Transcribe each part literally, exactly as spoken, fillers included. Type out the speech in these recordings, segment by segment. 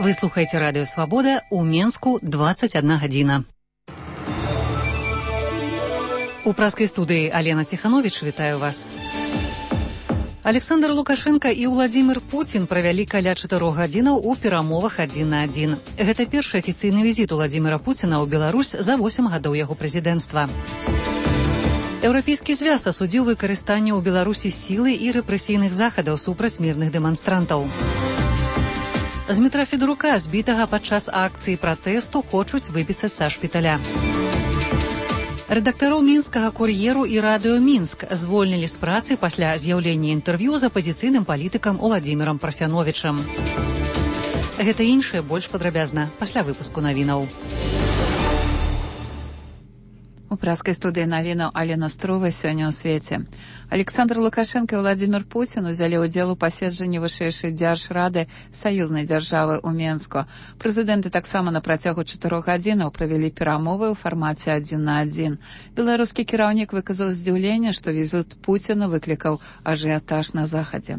Вы слухаеце радыё Свабода, у Менску двадцать одна гадзіна. У праскай студыі Алена Ціхановіч вітаю вас. Александр Лукашенко і Владзімір Пуцін правялі каля чатырох гадзінаў у перамовах адзін на адзін. Гэта першы афіцыйны візіт Владзіміра Пуціна ў Беларусь за восем гадоў яго прэзідэнцтва. Еўрапейскі звяз асудзіў выкарыстанне ў Беларусі сілы і рэпрэсійных захадаў супраць мірных дэманстрантаў. З метра Федорука, збітага падчас акцыі пратэсту, хочуць выпісаць са шпіталя. Рэдактароў мінскага кур'еру і радыё Мінск звольнілі з працы пасля з'яўлення інтэрв'ю з апазіцыйным палітыкам Уладзімірам Парфяновічам. Гэта іншае больш падрабязна пасля выпуску навінаў. У праскай студыі навінаў Алена Строва сёння ў свеце. Александр Лукашенко і Владзімір Пуцін узялі ўдзел у паседжанні вышэйшай дзяржрады саюзнай дзяржавы ў Менску. Прэзідэнты таксама на працягу чатырох гадзінаў правялі перамовы ў фармаце адзін на адзін. Беларускі кіраўнік выказаў здзіўленне, што візіт Пуціна выклікаў ажыятаж на захадзе.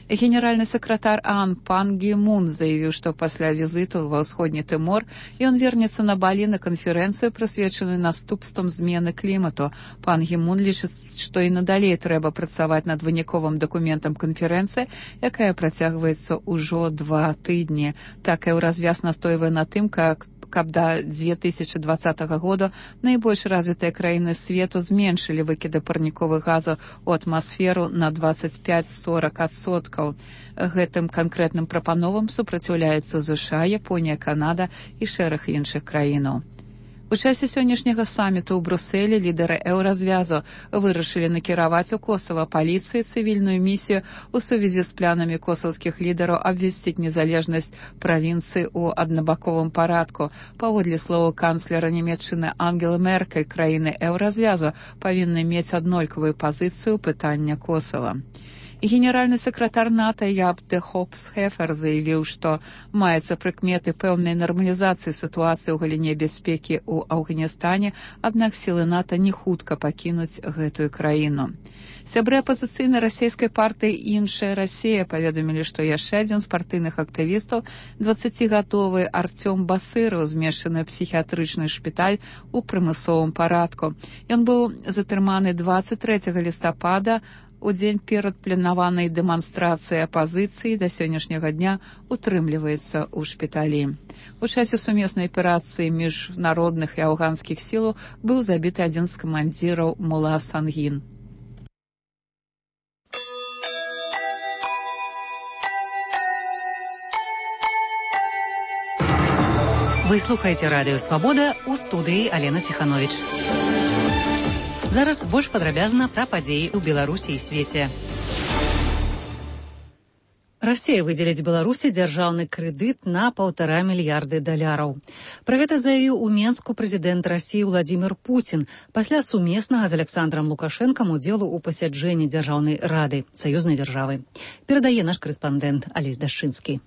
Генеральны сакратар ААН пан Гі Мун заявіў, што пасля візіту ва ўсходні Тымор ён вернецца на Балі на канферэнцыю, прысвечаную наступствам змены клімату. Пан Гі Мун лічыць, што і надалей трэба працаваць над выніковым дакументам канферэнцыі, якая працягваецца ўжо два тыдні. Так і ў развяз настойвае на тым, как каб да дзве тысячы дваццатага года найбольш развітыя краіны свету зменшылі выкіды парніковых газаў у атмасферу на дваццаць пяць сорак адсоткаў. Гэтым канкрэтным прапановам супраціўляюцца ЗША, Японія, Канада і шэраг іншых краінаў. У часе сённяшняга саміту ў Брусэлі лідары еўразвязу вырашылі накіраваць у Косава паліцыі цывільную місію у сувязі з планамі косаўскіх лідараў абвясціць незалежнасць правінцыі ў аднабаковым парадку. Паводле словаў канцлера Нямецчыны Ангелы Меркель, краіны еўразвязу павінны мець аднолькавую пазіцыю пытання Косава. Генеральны сакратар НАТО Яб де Хопс-Хефер заявіў, што маецца прыкметы пэўнай нармалізацыі сітуацыі ў галіне бяспекі ў Афганістане, аднак сілы НАТО не хутка пакінуць гэтую краіну. Сябры апазіцыйнай расійскай партыі «Іншая Расія» паведамілі, што яшчэ адзін з партыйных актывістаў, дваццацігадовы Артём Басыраў, змешчаны ў псіхіятрычны шпіталь у прымусовым парадку. Ён быў затрыманы дваццаць трэцяга лістапада у дзень перад планаванай дэманстрацыяй апазіцыі, да сённяшняга дня утрымліваецца ў шпіталі. У часе сумеснай аперацыі міжнародных і афганскіх сілаў быў забіты адзін з камандзіраў Мула Сангін. Вы слухаеце радыё Свабода, у студыі Алена Ціхановіч. Зараз больш падрабязна пра падзеі ў Беларусі і свеце. Расія выдзеліць Беларусі дзяржаўны крэдыт на паўтара мільярды даляраў. Пра гэта заявіў у Менску прэзідэнт Расіі Владзімір Пуцін пасля сумеснага з Александрам Лукашэнкам удзелу ў пасяджэнні дзяржаўнай рады саюзнай дзяржавы. Перадае наш корэспандэнт Алесь Дашчынскі.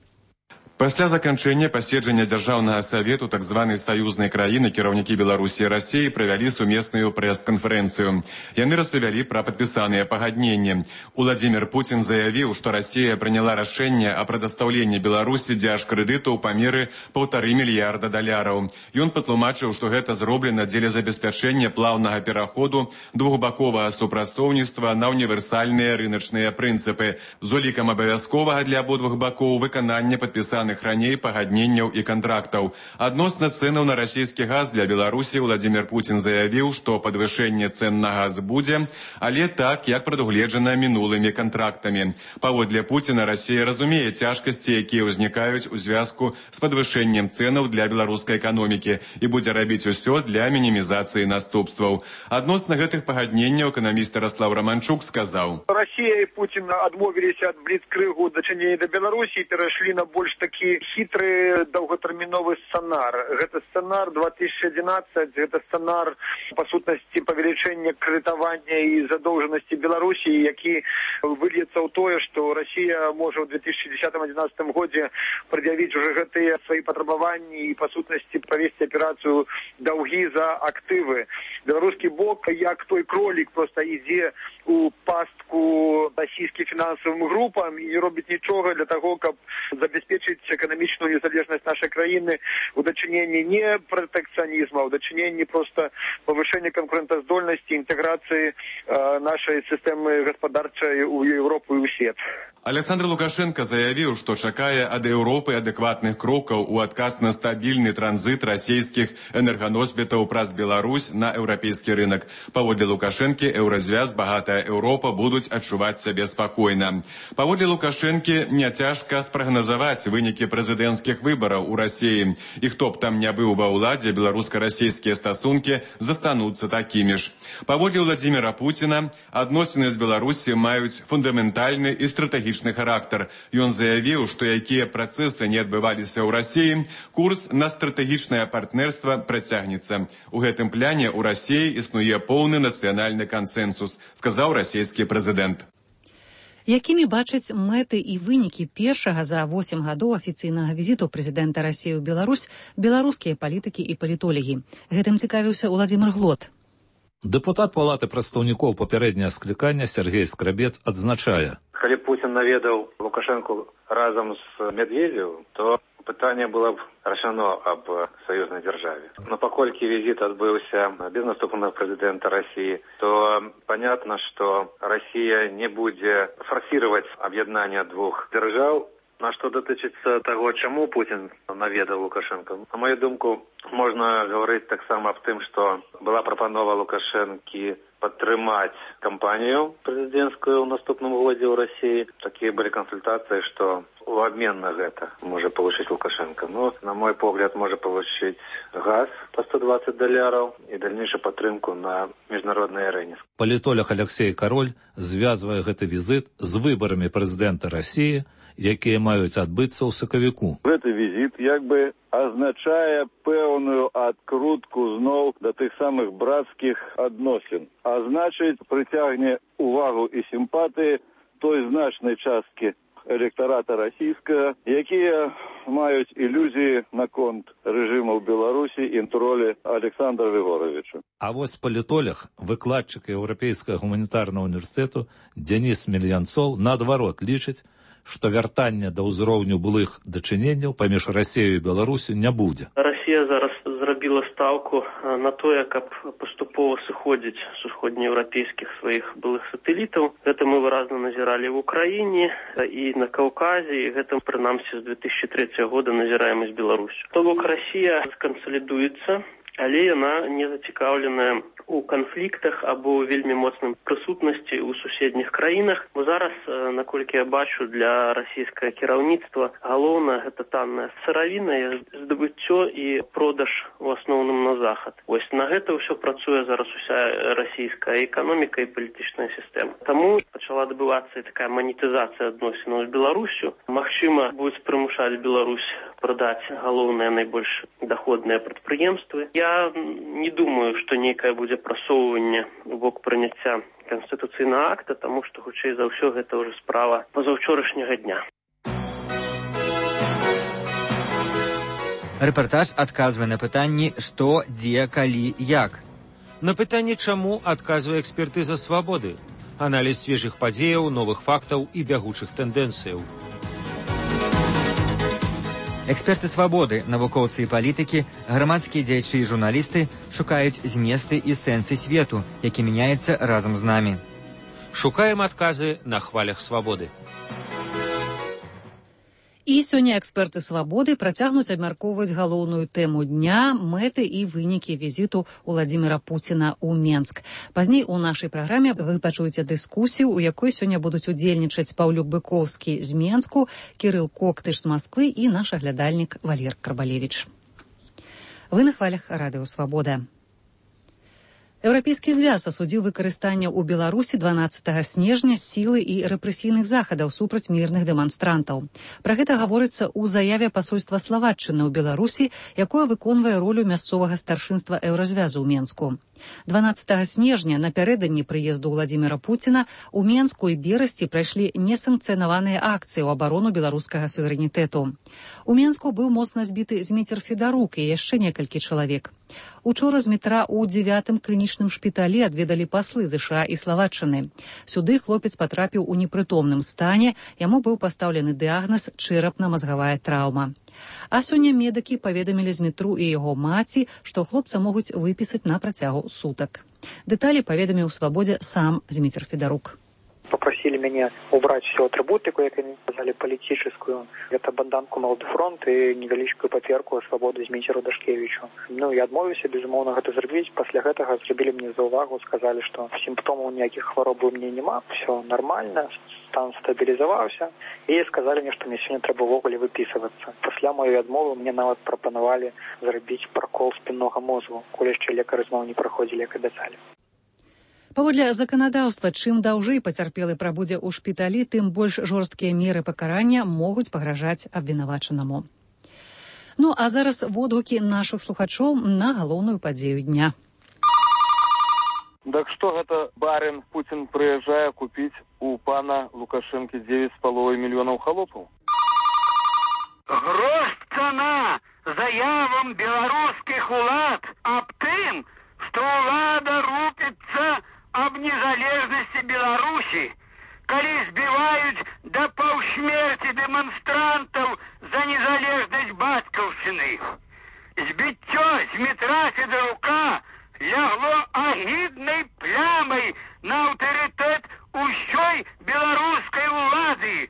Пасля заканчэння паседжання дзяржаўнага савету так званай саюзнай краіны кіраўнікі Беларусі і Расіі правялі сумесную прэс-канферэнцыю. Яны распавялі пра падпісаныя пагадненні. Владзімір Пуцін заявіў, што Расія прыняла рашэнне о прадастаўленні Беларусі дзяржкрэдыту ў памеры паўтары мільярда даляраў. Ён патлумачыў, што гэта зроблена дзеля забеспячэння плаўнага пераходу двухбаковага супрацоўніцтва на універсальныя рыначныя прынцыпы з улікам абавязковага для абодвух бакоў выканання падпісаных раней пагадненняў і кантрактаў. Адносна цэнаў на расійскі газ для Беларусі Владзімір Пуцін заявіў, што падвышэнне цэн на газ будзе, але так, як прадугледжана мінулымі кантрактамі. Паводле Пуціна, Расія разумее цяжкасці, якія ўзнікаюць у звязку з падвышэннем цэнаў для беларускай эканомікі і будзе рабіць усё для мінімізацыі наступстваў. Адносна гэтых пагадненняў эканаміст Ярослав Романчук сказаў: Расія і Пуцін адмовіліся ад бліцкрыгу дачынення да Беларусі і перайшлі на больш такі хитрый долготерминовый сценар. Это сценар две тысячи одиннадцать, это сценар, по сутности, повеличения кредитования и задолженности Беларуси, які выльется в то, что Россия может в две тысячи десятом — две тысячи одиннадцатом году предъявить уже гэтые свои потребования и, по сутности, провести операцию долги за активы. Белорусский бок, як той кролик, просто идет у пастку российским финансовым группам и не робит ничего для того, как забеспечить эканамічную незалежнасць нашай краіны у дачыненні не пратэкцыянізма, у дачыненні проста павышэння канкурэнтаздольнасці, інтэграцыі нашай сістэмы гаспадарчай у Еўропу і ў свет. Александр Лукашенко заявіў, што чакае ад Еўропы адэкватных крокаў у адказ на стабільны транзіт расійскіх энерганосьбітаў праз Беларусь на еўрапейскі рынок. Паводле Лукашэнкі, еўразвяз, багатая Еўропа будуць адчуваць сябе спакойна. Паводле Лукашэнкі, няцяжка спрагназаваць вынікі прэзідэнцкіх выбараў у Расіі. І хто б там не быў ва ўладзе, беларуска-расійскія стасункі застануцца такімі ж. Паводле Владзіміра Пуціна, адносіны з Беларусі маюць фундаментальны і стратэгічны характар. Ён заявіў, што якія працэсы не адбываліся ў Расіі, курс на стратэгічнае партнерства працягнецца. У гэтым пляне ў Расіі існуе поўны нацыянальны кансэнсус, сказаў расійскі прэзідэнт. Якімі бачаць мэты і вынікі першага за восем гадоў афіцыйнага візіту прэзідэнта Расіі ў Беларусь беларускія палітыкі і палітолагі? Гэтым цікавіўся Уладзімір Глот. Дэпутат Палаты прадстаўнікоў папярэдняе склікання Сергей Скрабец адзначае: калі Путін наведаў Лукашенку разам з Медведевым, то пытанне было б рашано аб саюзнай дзяржаве. Но паколькі візіт адбыўся без наступнага прэзідэнта Расіі, то понятно, што Расія не будзе форсировать аб'яднанне двух дзяржаў. На што датычыцца таго, чаму Путін наведаў Лукашенка? На мою думку, можна гаварыць таксама аб тым, што была прапанова Лукашэнкі падтрымаць кампанію прэзідэнцкую ў наступным годзе ў Расіі. Такія былі кансультацыі, што у абмен на гэта можа получыць Лукашенко. Ну, на мой погляд, можа получыць газ па сто двадцать даляраў і дальнейшую падтрымку на міжнароднай арэне. Палітолог Алексей Кароль звязвае гэты візіт з выбарамі прэзідэнта Расіі, якія маюць адбыцца ў сакавіку. Гэты візіт як бы азначае пэўную адкрутку зноў да тых самых брацкіх адносін. А значыць, прыцягне увагу і сімпатыі той значнай часткі электарата расійскага, якія маюць ілюзіі наконт рэжыму ў Беларусі і ролі Александра Григоровича. А вось палітолог, выкладчык Еўрапейскага гуманітарнага універсітэту Дзяніс Мельянцоў наадварот лічыць, што вяртання да ўзроўню былых дачыненняў паміж Расіяй і Беларусю не будзе. Расія зараз зрабіла стаўку на тое, каб паступова сыходзіць з усходнееўрапейскіх сваіх былых сатэлітаў. Гэта мы выразна назіралі в Украіне і на Каўказе, і гэта прынамсі з две тысячи трэцяга года назіраем і з Беларусю. То бок Расія скансалідуецца, але яна не зацікаўленая у канфліктах або ў вельмі моцным прысутнасці ў суседніх краінах. Бо зараз, наколькі я бачу, для расійскага кіраўніцтва галоўна гэта танная сыравіна, здабыццё і продаж у асноўным на захад. Вось на гэта ўсё працуе зараз уся расійская эканоміка і палітычная сістэма. Таму пачала адбывацца такая манетызацыя адносінаў з Беларусю. Магчыма, будуць прымушаць Беларусь прадаць галоўныя найбольш даходныя прадпрыемствы. Я не думаю, што нейкае будзе прасоўванне у бок прыняцця канстытуцыйнага акта, таму што, хутчэй за ўсё, гэта ўжо справа пазаўчорашняга дня. Рэпартаж адказвае на пытанні «Што, дзе, калі, як?». На пытанне «Чаму?» адказвае экспертыза «Свабоды». Аналіз свежых падзеяў, новых фактаў і бягучых тэндэнцыяў. Эксперты «Свабоды», навукоўцы і палітыкі, грамадскія дзеячы і журналісты шукаюць зместы і сэнсы свету, які мяняецца разам з намі. Шукаем адказы на хвалях «Свабоды». І сёння эксперты «Свабоды» працягнуць абмяркоўваць галоўную тэму дня, мэты і вынікі візіту Уладзіміра Пуціна ў Менск. Пазней у нашай праграме вы пачуеце дыскусію, у якой сёння будуць удзельнічаць Паўлюк Быковскі з Менску, Кірыл Коктыш з Масквы і наш аглядальнік Валер Карбалевіч. Вы на хвалях радыё «Свабода». Еўрапейскі звяз асудзіў выкарыстанне ў Беларусі дванаццатага снежня сілы і рэпрэсійных захадаў супраць мірных дэманстрантаў. Пра гэта гаворыцца ў заяве пасольства Славаччыны ў Беларусі, якое выконвае ролю мясцовага старшынства Еўразвязу ў Менску. дванаццатага снежня, напярэдадні прыезду Уладзіміра Пуціна, у Менску і Берасці прайшлі несанкцыянаваныя акцыі ў абарону беларускага суверэнітэту. У Менску быў моцна збіты Зміцер Федарук і яшчэ некалькі чалавек. Учора з метра ў дзевятым клінічным клінічным шпіталі адведалі паслы ЗША і Славатчыны. Сюды хлопец патрапіў у непрытомным стане, яму быў пастаўлены дыягназ чэрапна-мазгавая траўма. А сёння медыкі паведамілі Змітру і яго маці, што хлопца могуць выпісаць на працягу сутак. Дэталі паведаміў у «Свабодзе» сам Змітр Федарук. Попросили меня убрать всю атрибутику, как они сказали, политическую. Это банданку «Молодой фронт» и невеличкую паперку «Свободу» Зміцеру Дашкевичу. Ну, я адмовився, безумоўно, гэта зрабіць. Пасля гэтага зрабілі мне заувагу, сказали, что симптомов никаких хвороб у меня нема, все нормально, стан стабілізаваўся. И сказали мне, что мне сегодня трэба ввогуле выписываться. Пасля моей адмовы мне нават прапанавалі зрабіць прокол спіннога мозгу, коли яшчэ лекары зноў не праходзілі, як абяцалі. Паводле заканадаўства, чым даўжэй пацярпелы прабудзе ў шпіталі, тым больш жорсткія меры пакарання могуць пагражаць абвінавачанаму. Ну, а зараз водгукі нашых слухачоў на галоўную падзею дня. Так што гэта барин Путин прыязджае купіць у пана Лукашэнкі девять с половиной мільёнаў халопаў? Грош цана заявам беларускіх улад аб тым, што ўлада рупіцца аб незалежнасці Беларусі, калі збіваюць да паўсмерці дэманстрантаў за незалежнасць бацькаўшчыны. Збіццё Змітра Федарука лягло агіднай плямай на аўтарытэт усёй беларускай улады.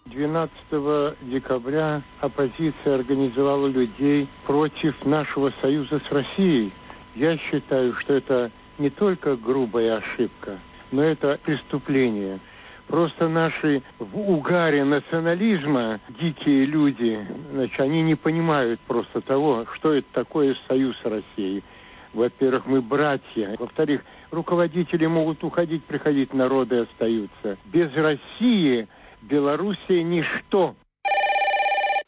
двенадцатого декабря оппозиция организовала людей против нашего союза с Россией. Я считаю, что это не только грубая ошибка, но это преступление. Просто наши в угаре национализма дикие люди, значит, они не понимают просто того, что это такое союз с Россией. Во-первых, мы братья. Во-вторых, руководители могут уходить, приходить, народы остаются. Без России Белоруссия ничто.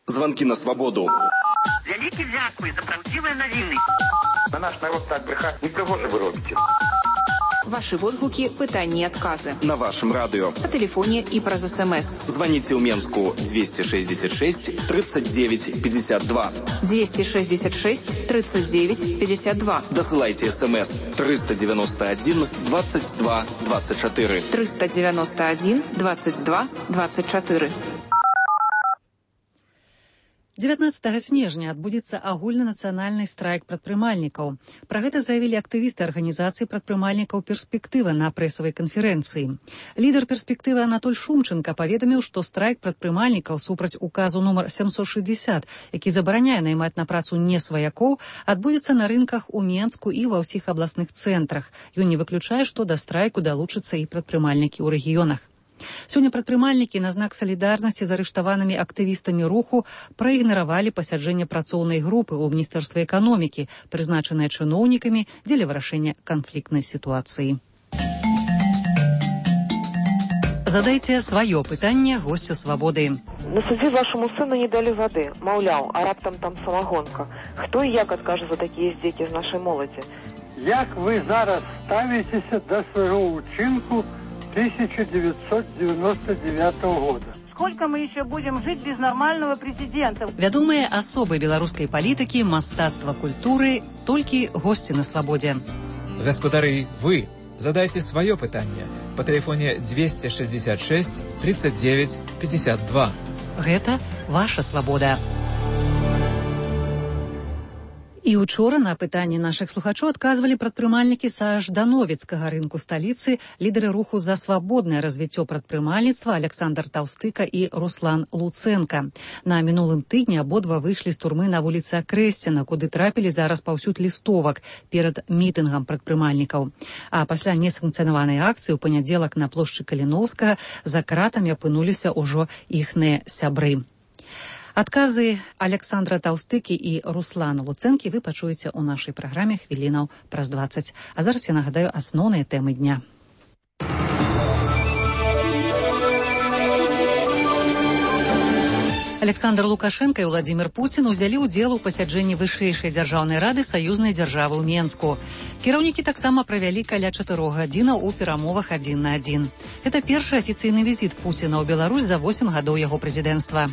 Звонки на свободу. Вялікі дзякуй за правдзівыя навіны. На наш народ так брехать не пригоже вы робите. Ваши водгуки, пытания и отказы. На вашем радио. По телефоне и про СМС. Звоните в Менску двести шестьдесят шесть тридцать девять пятьдесят два. двести шестьдесят шесть тридцать девять пятьдесят два. Досылайте СМС триста девяносто один двадцать два двадцать четыре. триста девяносто один двадцать два двадцать четыре. дзевятнаццатага снежня адбудзецца агульнанацыянальны страйк прадпрымальнікаў. Пра гэта заявілі актывісты арганізацыі прадпрымальнікаў «Перспектыва» на прэсавай канферэнцыі. Лідар «Перспектывы» Анатоль Шумченко паведаміў, што страйк прадпрымальнікаў супраць указу нумар сямсот шэсцьдзесят, які забараняе наймаць на працу не сваякоў, адбудзецца на рынках у Менску і ва ўсіх абласных цэнтрах. Ён не выключае, што да страйку далучацца і прадпрымальнікі ў рэгіёнах. Сёння прадпрымальнікі на знак салідарнасці з арыштаванымі актывістамі руху праігнаравалі пасяджэнне працоўнай групы ў Міністэрстве эканомікі, прызначанае чыноўнікамі дзеля вырашэння канфліктнай сітуацыі. Задайце сваё пытанне госцю «Свабоды». На суде вашему сыну не дали воды. Маўляў, а раптам там самогонка. Хто і як адкажа за такія здзекі з нашай моладзі? Як вы зараз ставіцеся да свайго ўчынку тысяча девятьсот девяносто девятого года? Сколько мы еще будем жить без нормального президента? Вядомыя асобы беларускай палітыкі, мастацтва, культуры, толькі госці на «Свабодзе». Гаспадары, вы задайте свое пытанне по телефоне двести шестьдесят шесть тридцать девять пятьдесят два. Гэта ваша «Свабода». І учора на пытанні нашых слухачоў адказвалі прадпрымальнікі са ждановецкага рынку сталіцы, лідары руху за свабоднае развіццё прадпрымальніцтва Александр Таўстыка і Руслан Луценка. На мінулым тыдні абодва выйшлі з турмы на вуліцы Акрэсціна, куды трапілі за распаўсюд лістовак перад мітынгам прадпрымальнікаў. А пасля несанкцыянаванай акцыі ў панядзелак на плошчы Каліноўскага за кратамі апынуліся ўжо іхныя сябры. Адказы Александра Таўстыкі і Руслана Луцэнкі вы пачуеце ў нашай праграме хвілінаў праз дваццаць. А зараз я нагадаю асноўныя тэмы дня. Александр Лукашенко і Владимир Путин узялі ўдзел у пасяджэнні вышэйшай дзяржаўнай рады саюзнай дзяржавы ў Менску. Кіраўнікі таксама правялі каля чатырох гадзінаў у перамовах адзін на адзін. Гэта першы афіцыйны візіт Пуціна ў Беларусь за восем гадоў яго прэзідэнцтва.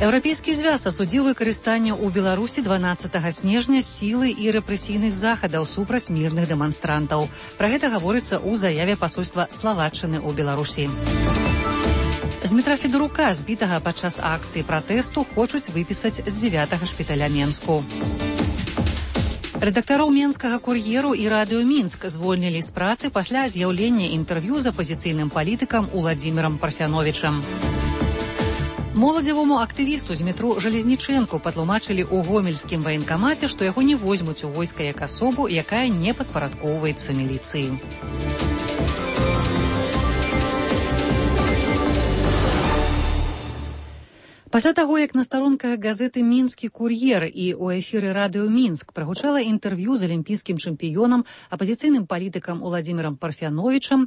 Еўрапейскі звяз асудзіў выкарыстанне ў Беларусі дванаццатага снежня сілы і рэпрэсійных захадаў супраць мірных дэманстрантаў. Пра гэта гаворыцца ў заяве пасольства Славаччыны ў Беларусі. З метра Федорука, збітага падчас акцыі пратэсту, хочуць выпісаць з дзевятага шпіталя Менску. Рэдактароў менскага кур'еру і радыё Мінск звольнілі з працы пасля з'яўлення інтэрв'ю з апазіцыйным палітыкам Уладзімірам Парфяновічам. Моладзевому актывісту з метро Жалезнічэнку патлумачылі ў гомельскім ваенкамаце, што яго не возьмуць у войска як асобу, якая не падпарадкоўваецца міліцыі. Пасля таго, як на старонках газеты «Мінскі кур'ер» і ў эфіры радыё Мінск прагучала інтэрв'ю з алімпійскім чэмпіёнам, апазіцыйным палітыкам Уладзімірам Парфяновічам,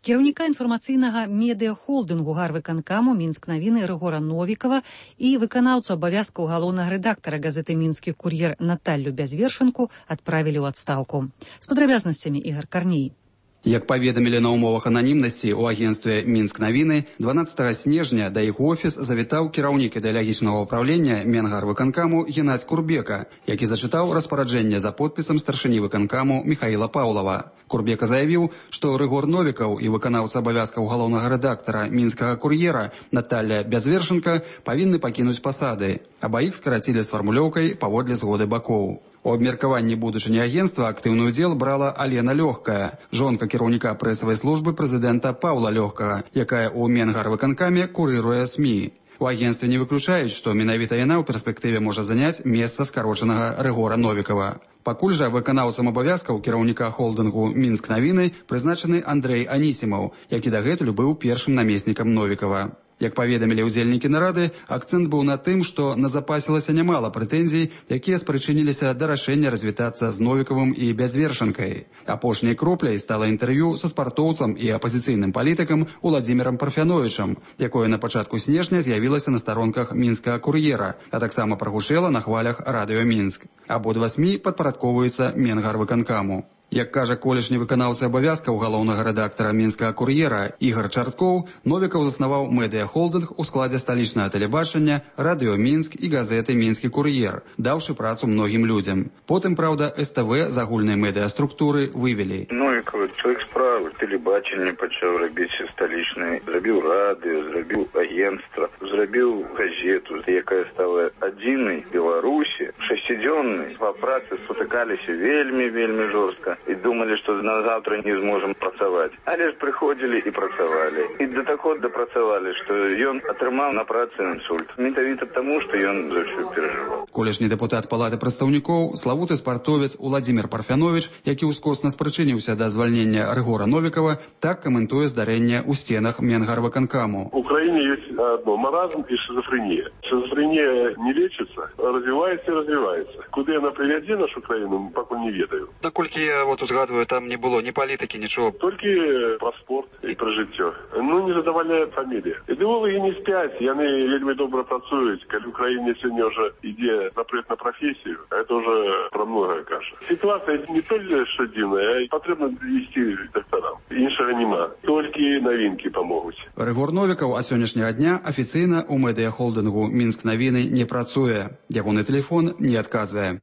кіраўніка інфармацыйнага медыахолдынгу гарвыканкаму «Мінск-навіны» Рыгора Новікава і выканаўцу абавязкаў галоўнага рэдактара газеты «Мінскі кур'ер» Наталлю Бязвершынку адправілі ў адстаўку. З падрабязнасцямі Ігар Карней. Як паведамілі на ўмовах ананімнасці ў агенцтве «Мінск-навіны», дванаццатага снежня да іх офіс завітаў кіраўнік ідэалагічнага ўправлення Менгарвыканкаму Геннадзь Курбека, які зачытаў распараджэнне за подпісам старшыні выканкаму Міхаіла Паўлава. Курбека заявіў, што Рыгор Новікаў і выканаўца абавязкаў галоўнага рэдактара «Мінскага кур'ера» Наталля Бязвершынка павінны пакінуць пасады. Абаіх скарацілі з фармулёўкай паводле згоды бакоў. У абмеркаванні будучыні агенцтва актыўны ўдзел брала Алена Лёгкая, жонка кіраўніка прэсавай службы прэзідэнта Паўла Лёгкага, якая ў Менгарвыканкаме курыруе СМІ. У агенцтве не выключаюць, што менавіта яна ў перспектыве можа заняць месца скарочанага Рыгора Новікава. Пакуль жа выканаўцам абавязкаў кіраўніка холдынгу «Мінск-навіны» прызначаны Андрэй Анісімаў, які дагэтуль быў першым намеснікам Новікава. Як паведамілі ўдзельнікі нарады, акцэнт быў на тым, што назапасілася нямала прэтэнзій, якія спрычыніліся да рашэння развітацца з Новікавым і Бязвершынкай. Апошняй кропляй стала інтэрв'ю са спартоўцам і апазіцыйным палітыкам Уладзімірам Парфяновічам, якое на пачатку снежня з'явілася на старонках «Мінскага кур'ера», а таксама прагучэла на хвалях радыё Мінск. Абодва СМІ падпарадкоўваюцца Менгарвыканкаму. Як кажа колішні выканаўца абавязкаў галоўнага рэдактара «Мінскага кур'ера» Ігар Чарткоў, Новікаў заснаваў медыахолдынг у складзе сталічнага тэлебачання, радыё Мінск і газеты «Мінскі кур'ер», даўшы працу многім людзям. Потым, праўда, СТВ з агульнай медыаструктуры вывелі. Новікаў, чалавек справы, тэлебачанне пачаў рабіць сталічнае, зрабіў радыё, зрабіў агенцтва, зрабіў газету, якая стала адзінай Беларусі, шасцідзённай. Па працы спатыкаліся вельмі-вельмі жорстка. І думалі, што на заўтра не зможам працаваць. Але ж прыходзілі і працавалі. І да такога дапрацавалі, што ён атрымаў на працы інсульт. Менавіта таму, што ён за ўсё перажываў. Колішні дэпутат палаты прадстаўнікоў, славуты спартовец Уладзімір Парфяновіч, які ўскосна спрычыніўся да звальнення Рыгора Новікава, так каментуе здарэнне ў сценах Менгарвыканкаму. У краіне ёсць адно – маразм і шизофренія. Шизофренія не лечыцца, развіваецца і развіваецца. Куды яна прывядзе нашу краіну, пакуль не ведаю. Наколькі я вот узгадываю, там не было ні палітыкі, нічого. Толькі пра спорт і пра жыццё. Ну, не задавальняе фамілія. Ідэолагі не спяць, яны вельмі добра працуюць. Калі ў краіне сёння ўжо ідзе запрет на прафесію, гэта ўжо пра многае кажа. Сітуацыя не толькі што дзіўная, а патрэбна ісці дактарам. Іншага няма. Толькі навінкі памогуць. Рыгор Новікаў а сённяшняга дня афіцыйна ў медыахолдынгу «Мінск-навіны» не працуе. Ягоны тэлефон не адказвае.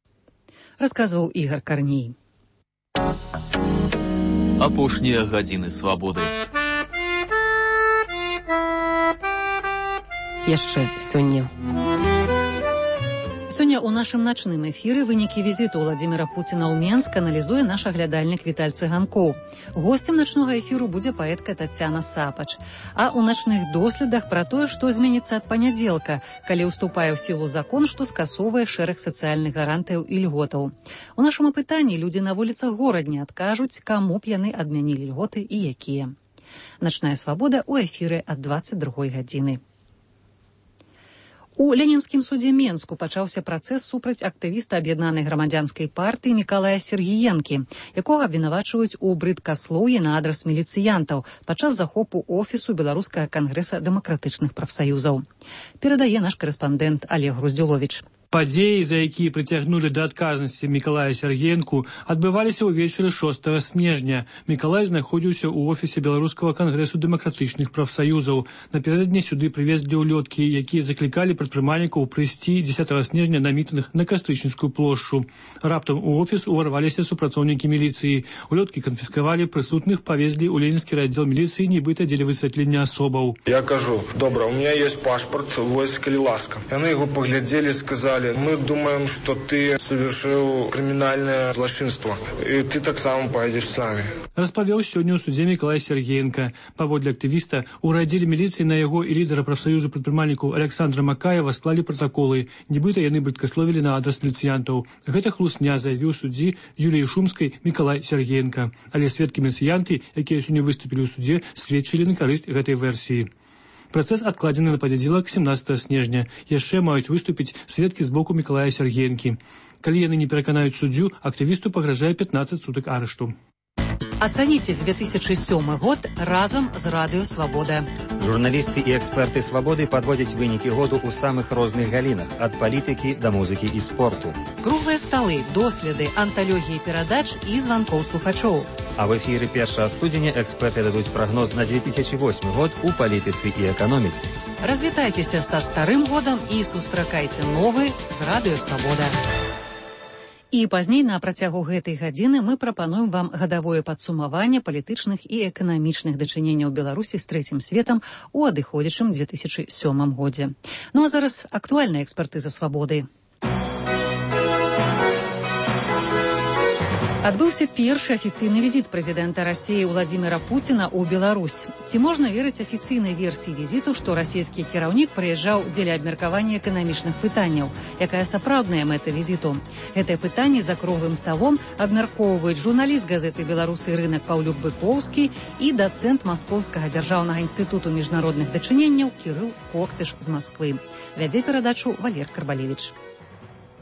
Расказваў Ігар Карней. Апошнія гадзіны свабоды. Яшчэ сёння. Сёння ў нашым начным эфіры вынікі візіту Уладзіміра Пуціна ў Менск аналізуе наш аглядальнік Віталь Цыганкоў. Госцем начнога эфіру будзе паэтка Тацяна Сапач. А ў начных доследах пра тое, што зменіцца ад панядзелка, калі ўступае ў сілу закон, што скасоўвае шэраг сацыяльных гарантыяў і льготаў. У нашым апытанні людзі на вуліцах горадня адкажуць, каму б яны адмянілі льготы і якія. Начная свабода ў эфіры ад дваццаць другой гадзіны. У Ленінскім судзе Менску пачаўся працэс супраць актывіста аб'яднанай грамадзянскай партыі Мікалая Сергіенкі, якога абвінавачваюць у брыдкаслоўі на адрас міліцыянтаў падчас захопу офісу Беларускага кангрэса дэмакратычных прафсаюзаў. Перадае наш карэспандэнт Олег Груздзюловіч. Падзеі, за якія прыцягнулі да адказнасці Мікалая Сергеенку, адбываліся ўвечары шостага снежня. Мікалай знаходзіўся ў офісе Беларускага кангрэсу дэмакратычных прафсаюзаў. Напярэдадні сюды прывезлі ўлёткі, якія заклікалі прадпрымальнікаў прыйсці дзесятага снежня на мітынг на Кастрычніцкую плошчу. Раптам у офіс уварваліся супрацоўнікі міліцыі. Улёткі канфіскавалі, прысутных павезлі ў ленінскі аддзел міліцыі, нібыта дзеля высвятлення асобаў. Я кажу: добра, у меня есть пашпарт, вось, калі ласка. Яны яго паглядзелі, сказали: мы думаем, что ты совершил криминальное злочинство, и ты так само поедешь с нами. Распавёў сёння ў судзе Мікалай Сергеенка. Паводле актывіста, у раддзеле міліцыі на яго і лідара прафсаюзу прадпрымальнікаў Александра Макаева склалі пратаколы. Нібыта яны быткасловілі на адрас міліцыянтаў. Гэта хлусня, заявіў суддзі Юліі Шумскай Мікалай Сергеенка. Але сведкі-міліцыянты, якія сёння выступілі ў судзе, сведчылі на карысць гэтай версіі. Працэс адкладзены на панядзелак семнадцатага снежня. Яшчэ маюць выступіць сведкі з боку Мікалая Сергеенкі. Калі яны не пераканаюць суддзю, актывісту пагражае пятнаццаць сутак арышту. Ацаніце две тысячи сёмы год разам з Радыё Свабода. Журналісты і эксперты Свабоды падводзяць вынікі году ў самых розных галінах, ад палітыкі да музыкі і спорту. Круглыя сталы, доследы, анталогіі перадач і званкоў слухачоў. А в эфіры першага студзеня эксперты дадуць прагноз на две тысячи восьмы год у палітыцы і эканоміцы. Развітайцеся са старым годам і сустракайце новы з Радыё Свабода. І пазней на працягу гэтай гадзіны мы прапануем вам гадавое падсумаванне палітычных і эканамічных дачыненняў Беларусі з трэцім светам у адыходзячым две тысячи сёмым годзе. Ну а зараз актуальная экспертыза Свабоды. Адбыўся першы афіцыйны візіт прэзідэнта Расіі Владзіміра Пуціна ў Беларусь. Ці можна верыць афіцыйнай версіі візіту, што расійскі кіраўнік прыязджаў дзеля абмеркавання эканамічных пытанняў? Якая сапраўдная мэта візіту? Гэтае пытанне за круглым сталом абмяркоўваюць журналіст газеты «Беларусы» Рынак Паўлюк Быкоўскі і дацэнт Маскоўскага дзяржаўнага інстытуту міжнародных дачыненняў Кірыл Коктыш з Масквы. Вядзе перадачу Валер Карбалевіч.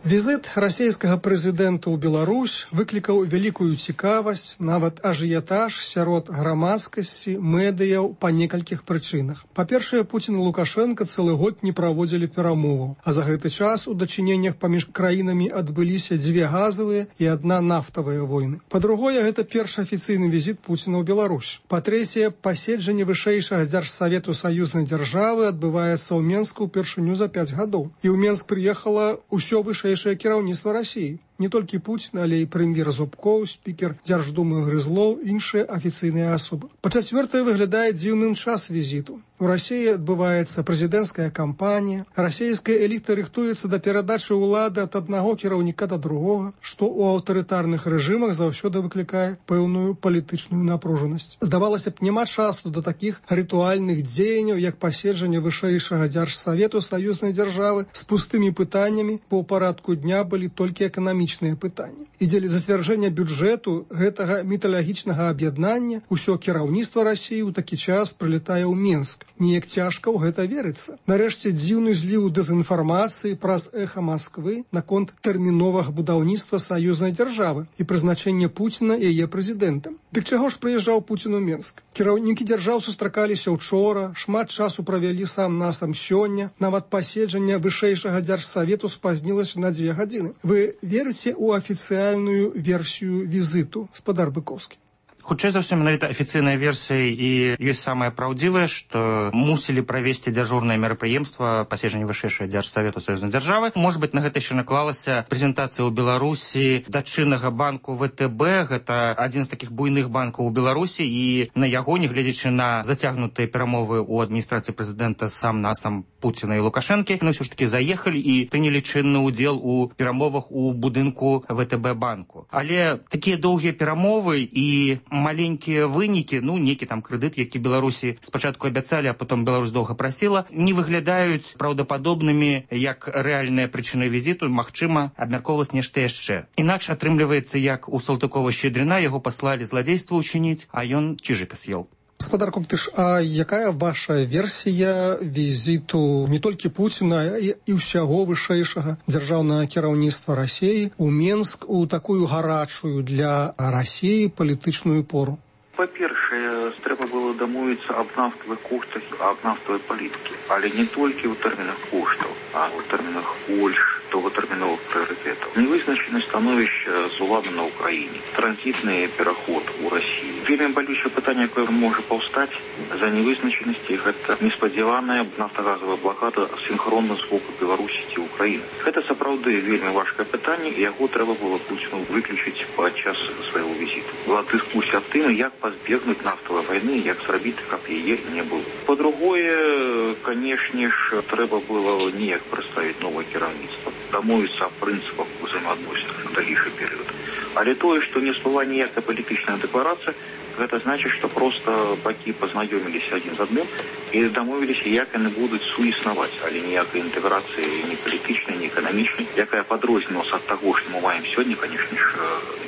Візит расійскага прэзідэнта ў Беларусь выклікаў вялікую цікавасць, нават ажыятаж сярод грамадскасці, медыяў па некалькіх прычынах. Па-першае, Пуцін і Лукашенка цэлы год не праводзілі перамоваў, а за гэты час у дачыненнях паміж краінамі адбыліся дзве газавыя і адна нафтавая войны. Па-другое, гэта першы афіцыйны візіт Пуціна ў Беларусь. Па-трэцяе, паседжанне вышэйшага дзяржсавету саюзнай дзяржавы адбываецца ў Менску ўпершыню за пяць гадоў. І ў Менск прыехала ўсё вышэйшае кіраўніцтва Расіі. Не толькі Пуцін, але і прэм'ер Зубкоў, спікер Дзярждумы Грызлоў, іншыя афіцыйныя асобы. Па-чацвёртае, выглядае дзіўным час візіту. У Расіі адбываецца прэзідэнцкая кампанія, расійская эліта рыхтуецца да перадачы ўлады ад аднаго кіраўніка да другога, што ў аўтарытарных рэжымах заўсёды выклікае пэўную палітычную напружанасць. Здавалася б, няма часу да такіх рытуальных дзеянняў, як паседжанне вышэйшага дзяржсавету саюзнай дзяржавы з пустымі пытаннямі, бо ў парадку дня былі толькі эканамічныя пытанні. І дзеля зацвярджэння бюджэту гэтага міталагічнага аб'яднання ўсё кіраўніцтва Расіі ў такі час прылетае ў Менск. Неяк цяжка ў гэта верыцца. Нарэшце, дзіўны зліў дэзінфармацыі праз эхо Масквы наконт тэрміновага будаўніцтва саюзнай дзяржавы і прызначэння Пуціна яе прэзідэнтам. Дык чаго ж прыязджаў Пуцін у Менск? Кіраўнікі дзяржаў сустракаліся ўчора, шмат часу правялі сам насам сёння, нават паседжанне вышэйшага дзяржсавету спазнілася на дзве гадзіны. Вы верыце ў афіцыяльную версію візіту, спадар Быкоўскі? Хутчэй за ўсё, менавіта афіцыйная версія і ёсць самае праўдзівае, што мусілі правесці дзяжурнае мерапрыемства паседжання вышэйшага дзяржсавету саюзнай дзяржавы. Можа быць, на гэта яшчэ наклалася прэзентацыя ў Беларусі дачыннага банку вэ тэ бэ. Гэта адзін з такіх буйных банкаў у Беларусі, і на яго, нягледзячы на зацягнутыя перамовы ў адміністрацыі прэзідэнта сам насам Пуціна і Лукашэнкі, яны ўсё ж такі заехалі і прынялі чынны ўдзел у перамовах у будынку вэ тэ бэ банку. Але такія доўгія перамовы і маленькія вынікі, ну, некі там крэдыт, які Беларусі спачатку абяцалі, а потом Беларусь доўга прасіла, не выглядаюць праўдападобнымі як рэальныя прычыны візіту. Магчыма, абмяркоўвалася нешта яшчэ. Інакш атрымліваецца, як у Салтыкова-Шчедріна, яго паслалі зладзейства ўчыніць, а ён чыжыка з'еў. Спадар Коктыш, а якая ваша версія візіту не толькі Пуціна і, і ўсяго вышэйшага дзяржаўнага кіраўніцтва Расіі ў Менск у такую гарачую для Расіі палітычную пору? Па-першае, трэба было дамовіцца аб нафтавых коштах, аб нафтавай палітыкі, але не толькі ў тэрмінах коштаў, а ў тэрмінах больш доўгатэрміновых прыярытэтаў. Невызначанасць становішча з улады на Ўкраіне, транзітны пераход у Расіі. Вельмі балючае пытанне, якое можа паўстаць за невызначанасці, гэта неспадзяваная нафтагазавая блакада сінхронна з боку Беларусі ці Ўкраіны. Гэта сапраўды вельмі важкае пытанне, і яго трэба было Пуціну выключыць падчас свайго візіту. Была дыскусія аб тым, як пазбегнуць нафтавай вайны, як зрабіць, каб яе не было. Па-другое, канешне ж, трэба было неяк прадставіць новае кіраўніцтва, дамовіцца аб прынцыпах узаемаадносін на далейшы перыяд. Але тое, што не спала ніякая палітычная дэкларацыя, гэта значыць, што проста бакі пазнаёміліся адзін з адным і дамовіліся, як яны будуць суіснаваць, але ніякай інтэграцыі ні палітычнай, ні эканамічнай, якая падрознілася ад таго, што мы маем сёння, канешне ж,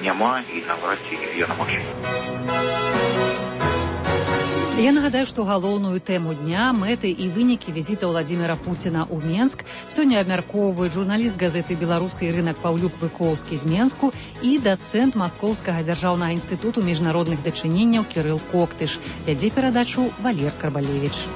няма і наврад ці яна магчыма. Я нагадаю, што галоўную тэму дня, мэты і вынікі візіта Владзіміра Пуціна ў Менск сёння абмяркоўваюць журналіст газеты «Беларусы» Ірынак Паўлюк-Быкоўскі з Менску і дацэнт Маскоўскага дзяржаўнага інстытуту міжнародных дачыненняў Кірыл Коктыш. Вядзе перадачу Валер Карбалевіч.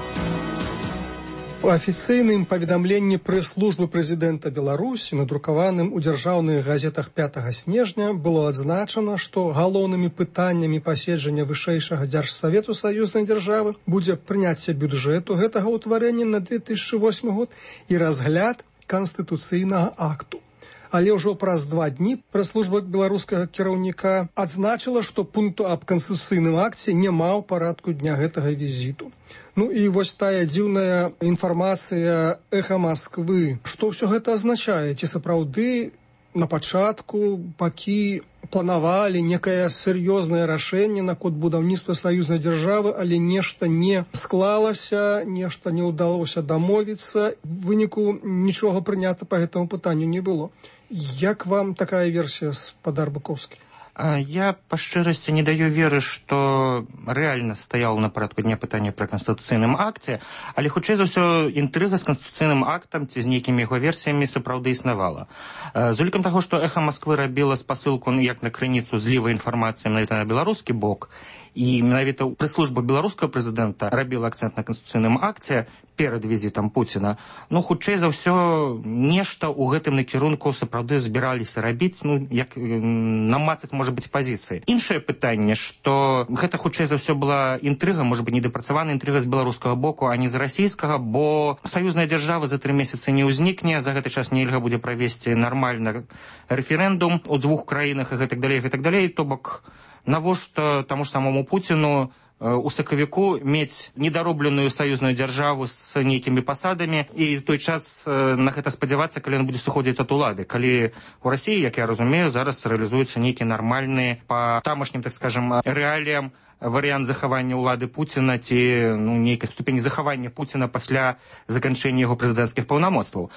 У афіцыйным паведамленні прэс-службы прэзідэнта Беларусі, надрукаваным у дзяржаўных газетах пятага снежня, было адзначана, што галоўнымі пытаннямі паседжання вышэйшага дзяржсавету саюзнай дзяржавы будзе прыняцце бюджэту гэтага ўтварэння на две тысячы восьмы год і разгляд канстытуцыйнага акту. Але ўжо праз два дні прэс-служба беларускага кіраўніка адзначыла, што пункту аб канстытуцыйным акце няма ў парадку дня гэтага візіту. Ну і вось тая дзіўная інфармацыя «Эха Масквы». Што ўсё гэта азначае? Ці сапраўды на пачатку бакі планавалі некае сур'ёзнае рашэнне наконт будаўніцтва саюзнай дзяржавы, але нешта не склалася, нешта не ўдалося дамовіцца, в выніку нічога прынята па гэтаму пытанню не было. Як вам такая версія, спадар Быкоўскі? Я па шчырасці не даю веры, што рэальна стаяла на парадку дня пытання пра канстытуцыйным акце, але хутчэй за ўсё інтрыга з канстытуцыйным актам ці з нейкімі яго версіямі сапраўды існавала. З улікам таго, што «Эха Масквы» рабіла спасылку як на крыніцу злівай інфармацыі менавіта на беларускі бок, і менавіта прэс-служба беларускага прэзідэнта рабіла акцэнт на канстытуцыйным акце перад візітам Пуціна, ну, хутчэй за ўсё, нешта ў гэтым накірунку сапраўды збіраліся рабіць, ну, як намацаць, можа быць, пазіцыі. Іншае пытанне, што гэта хутчэй за ўсё была інтрыга, можа быць, недапрацаваная інтрыга з беларускага боку, а не з расійскага, бо саюзная дзяржава за тры месяцы не ўзнікне, за гэты час нельга будзе правесці нармальна рэферэндум у двух краінах і гэтак далей, гэтак далей, то бок навошта таму ж самому Пуціну у сакавіку мець недаробленую саюзную дзяржаву з нейкімі пасадамі і той час на гэта спадзявацца, калі ён будзе сыходзіць ад улады. Калі у Расіі, як я разумею, зараз рэалізуецца нейкі нармальны па тамашнім, так скажам, рэаліям варыянт захавання ўлады Пуціна ці ну, нейкай ступені захавання Пуціна пасля заканчэння яго прэзідэнцкіх паўнамоцтваў.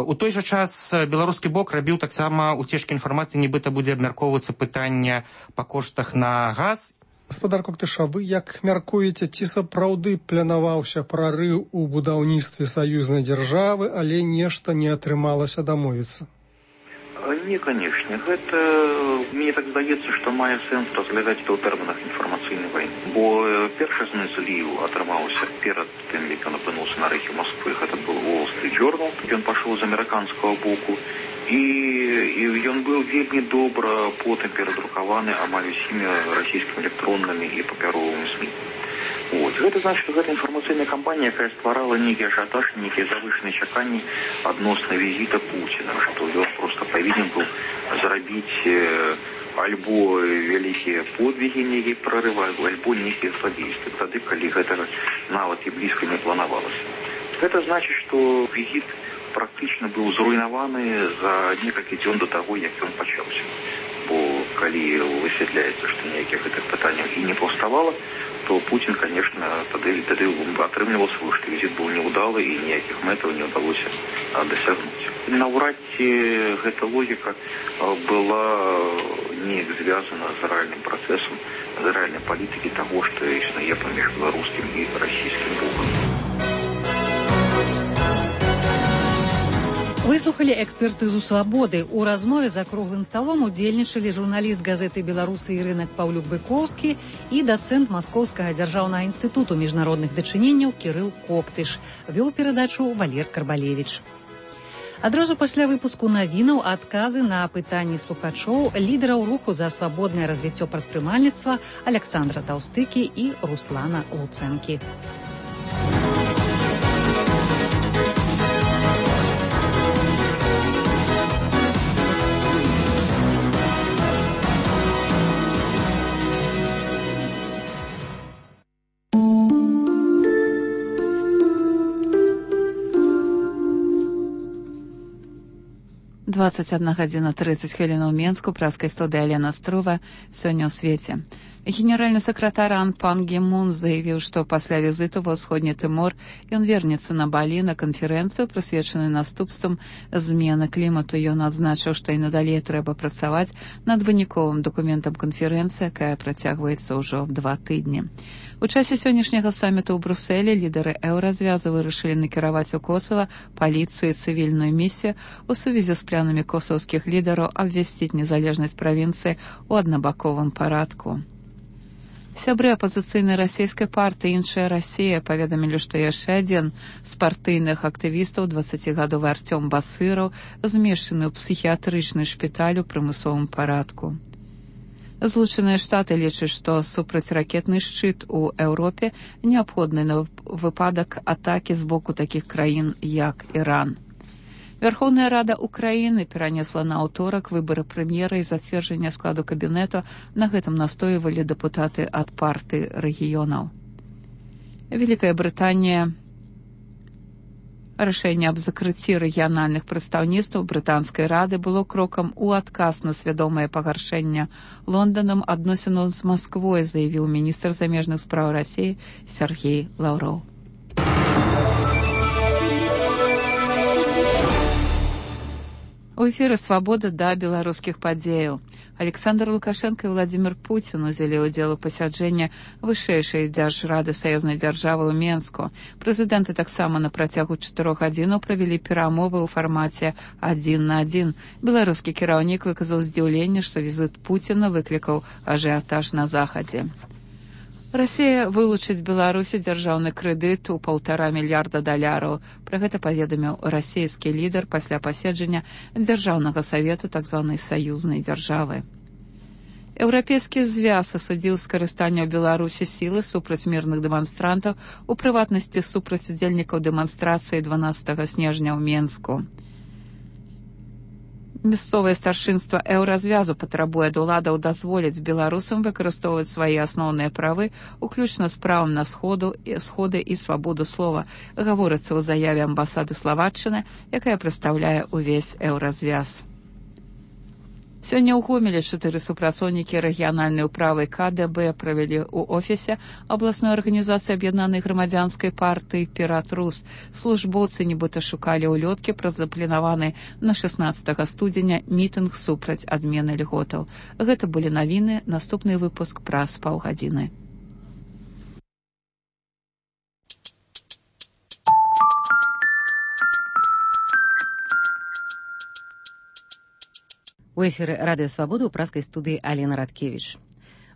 У той жа час беларускі бок рабіў таксама уцежкі інфармацыі, нібыта будзе абмяркоўвацца пытання па коштах на газ. Гаспадар Коктыша, вы як мяркуеце, ці сапраўды планаваўся прарыў у будаўніцтве саюзнай дзяржавы, але нешта не атрымалася дамовіцца? Не, канешне. Гэта, мне так здаецца, што мае сэнс разглядаць это ў тэрмінах інфармацыйнай вайны. Бо першасны зліў атрымаўся перад тым, як ён апынуўся на рэхе Москвы. Гэта был Wall Street Journal. Ён пашоў з амерыканскага боку. І, і ён быў вельмі добра потым перадрукаваны амаль усімі расійскімі электроннымі і папяровымі СМІ. Вот. Гэта значыць, што гэта інфармацыйная кампанія, якая стварала нейкі ажыятаж, нейкія завышаныя чаканні адносна візіта Пуціна, што ён проста павінен быў зрабіць альбо вялікія подвігі, нейкія прарывы, альбо нейкія слабействы, тады, калі гэтага нават і блізка не планавалася. Гэта значыць, што візіт практычна быў зруйнаваны за некалькі дзён да таго, як ён пачаўся. Бо калі высвятляецца, што ніякіх гэтых пытанняў і не паўставала, то Путин, конечно, тады, тады атрымліваў свой, што візіт быў неўдалы і ніякіх мэтаў не ўдалося дасягнуць. Наўрад ці гэта логіка была неяк звязана з рэальным працэсам, з рэальнай палітыкі таго, што існуе паміж беларускім і расійскім бокам. Выслухалі экспертызу «Свабоды». У размове за круглым сталом удзельнічалі журналіст газеты «Беларусы» Ірынак Паўлюк-Быкоўскі і дацэнт Маскоўскага дзяржаўнага інстытуту міжнародных дачыненняў Кірыл Коктыш. Вёў перадачу Валер Карбалевіч. Адразу пасля выпуску навінаў адказы на пытанні слухачоў лідараў руху за свабоднае развіццё прадпрымальніцтва Александра Таўстыкі і Руслана Луцэнкі. двадцать одна гадзіна тридцать хвілін у Менску, праскай студыі Алена Струва. Сёння ў свеце. Генеральны сакратар Ан Пан Гі Мун заявіў, што пасля візіту ва ўсходні Тымор ён вернецца на Балі на канферэнцыю, прысвечаную наступствам змены клімату. Ён адзначыў, што і надалей трэба працаваць над выніковым дакументам канферэнцыі, якая працягваецца ўжо два тыдні. У часе сённяшняга саміту ў Брусэлі лідары еўразвязу вырашылі накіраваць у Косава паліцыю і цывільную місію у сувязі з планамі косаўскіх лідараў абвясціць незалежнасць правінцыі ў аднабаковым парадку. Сябры апазіцыйнай расійскай партыі «Іншая Расія» паведамілі, што яшчэ адзін з партыйных актывістаў, дваццацігадовы Артём Басыраў, змешчаны ў псіхіятрычны шпіталь у прымусовым парадку. Злучаныя Штаты лічаць, што супрацьракетны шчыт у Еўропе неабходны на выпадак атакі з боку такіх краін, як Іран. Верховная Рада Украіны перанесла на аўторак выбары прэм'ера і зацверджання складу кабінету. На гэтым настойвалі дэпутаты ад партыі рэгіёнаў. Вялікая Брытанія рашэнне аб закрыцці рэгіянальных прадстаўніцтваў брытанскай рады было крокам у адказ на свядомае пагаршэнне Лонданам адносінаў з Масквой, заявіў міністр замежных спраў Расіі Сергей Лаўроў. У эфіры «Свабода» да беларускіх падзеяў. Александр Лукашенко і Владзімір Пуцін узялі ўдзел у пасяджэнні вышэйшай дзяржрады саюзнай дзяржавы ў Менску. Прэзідэнты таксама на працягу чатырох гадзінаў правялі перамовы ў фармаце адзін на адзін. Беларускі кіраўнік выказаў здзіўленне, што візіт Пуціна выклікаў ажыятаж на захадзе. Расія вылучыць Беларусі дзяржаўны крэдыт у паўтара мільярда даляраў. Пра гэта паведаміў расійскі лідар пасля паседжання дзяржаўнага савету так званай саюзнай дзяржавы. Еўрапейскі звяз асудзіў скарыстанне ў Беларусі сілы супраць мірных дэманстрантаў, у прыватнасці супраць удзельнікаў дэманстрацыі дванаццатага снежня ў Менску. Мясцовае старшынства еўразвязу патрабуе ад уладаў дазволіць беларусам выкарыстоўваць свае асноўныя правы, уключна з правам на сходу, сходы і свабоду слова, гаворыцца ў заяве амбасады Славаччыны, якая прадстаўляе ўвесь еўразвяз. Сёння ў Гомелі чатыры супрацоўнікі рэгіянальнай управы ка дэ бэ правялі ў офісе абласной арганізацыі аб'яднанай грамадзянскай партыі «Пірат-Рус». Службоўцы нібыта шукалі ўлёткі праз запланаваны на шаснаццатага студзеня мітынг супраць адмены льготаў. Гэта былі навіны, наступны выпуск праз паўгадзіны. У эфіры радыё «Свабода» ў праскай студыі Алена Радкевіч.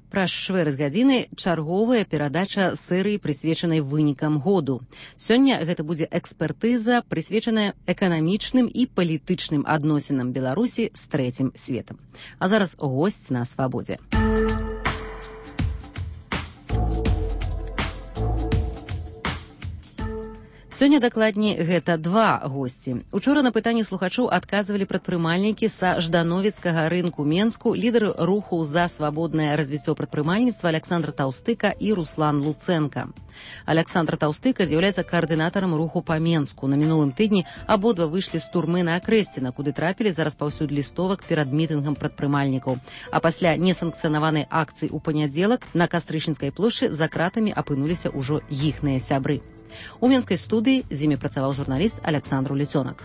Праз чвэрць гадзіны чарговая перадача серыі, прысвечанай вынікам году. Сёння гэта будзе экспертыза, прысвечаная эканамічным і палітычным адносінам Беларусі з трэцім светам. А зараз госць на «Свабодзе». Сёння дакладней гэта два госці. Учора на пытанні слухачоў адказвалі прадпрымальнікі са ждановецкага рынку Менску, лідары руху за свабоднае развіццё прадпрымальніцтва Александр Таўстыка і Руслан Луцэнка. Александр Таўстыка з'яўляецца каардынатарам руху па Менску. На мінулым тыдні абодва выйшлі з турмы на Акрэсціна, куды трапілі за распаўсюд лістовак перад мітынгам прадпрымальнікаў. А пасля несанкцыянаванай акцыі ў панядзелак на Кастрычніцкай плошчы за кратамі апынуліся ўжо іхныя сябры. У менскай студыі з імі працаваў журналіст Александр Лецёнак.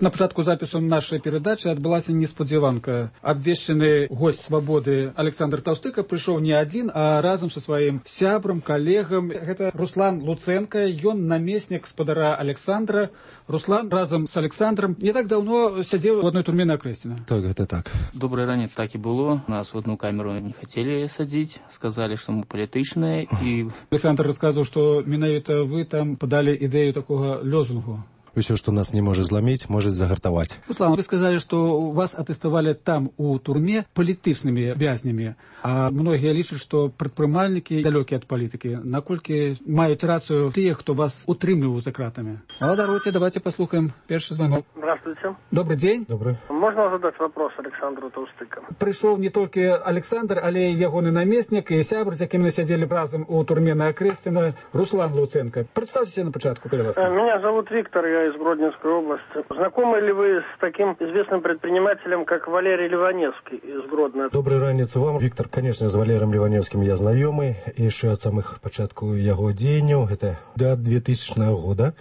На пачатку запісу нашай перадачы адбылася неспадзяванка. Абвешчаны госць свабоды Александр Таўстыка прыйшоў не адзін, а разам са сваім сябрам, калегам. Гэта Руслан Луценко, ён намеснік спадара Александра. Руслан разам з Александром не так даўно сядзеў у адной турме на Акрэсціна. Так, гэта так. Добрый ранец так і было. Нас в одну камеру не хацелі садзіць, сказалі, што мы палітычныя. І... Александр расказваў, што менавіта вы там падалі ідэю такога лёзунгу. Усё, што нас не можа зламіць, можа загартаваць. Руслан, вы сказалі, што вас атэставалі там у турме палітычнымі вязнямі, а многія лічаць, што прадпрымальнікі далёкія ад палітыкі. Наколькі маюць рацыю тыя, хто вас утрымліваў за кратамі? А даруйте, давайте послухаем першы звонок. Здравствуйте. Добрый день. Добрый. Можно задать вопрос Александру Таўстыка? Прыйшоў не толькі Александр, але і ягоны намеснік, і сябр, з якім мы сядзелі разам у турме на Акрэсціна, Руслан Луценко. Представьтеся на початку, калі ласка. Меня зовут Виктор, я из Гродненской области. Знакомы ли вы с таким известным предпринимателем, как Валерий Ливаневский из Гродно? Добрый ранец вам, Виктор. Конечно, с Валером Ливаневским я знакомый, еще от самых початку его деяний. Это до двухтысячного года.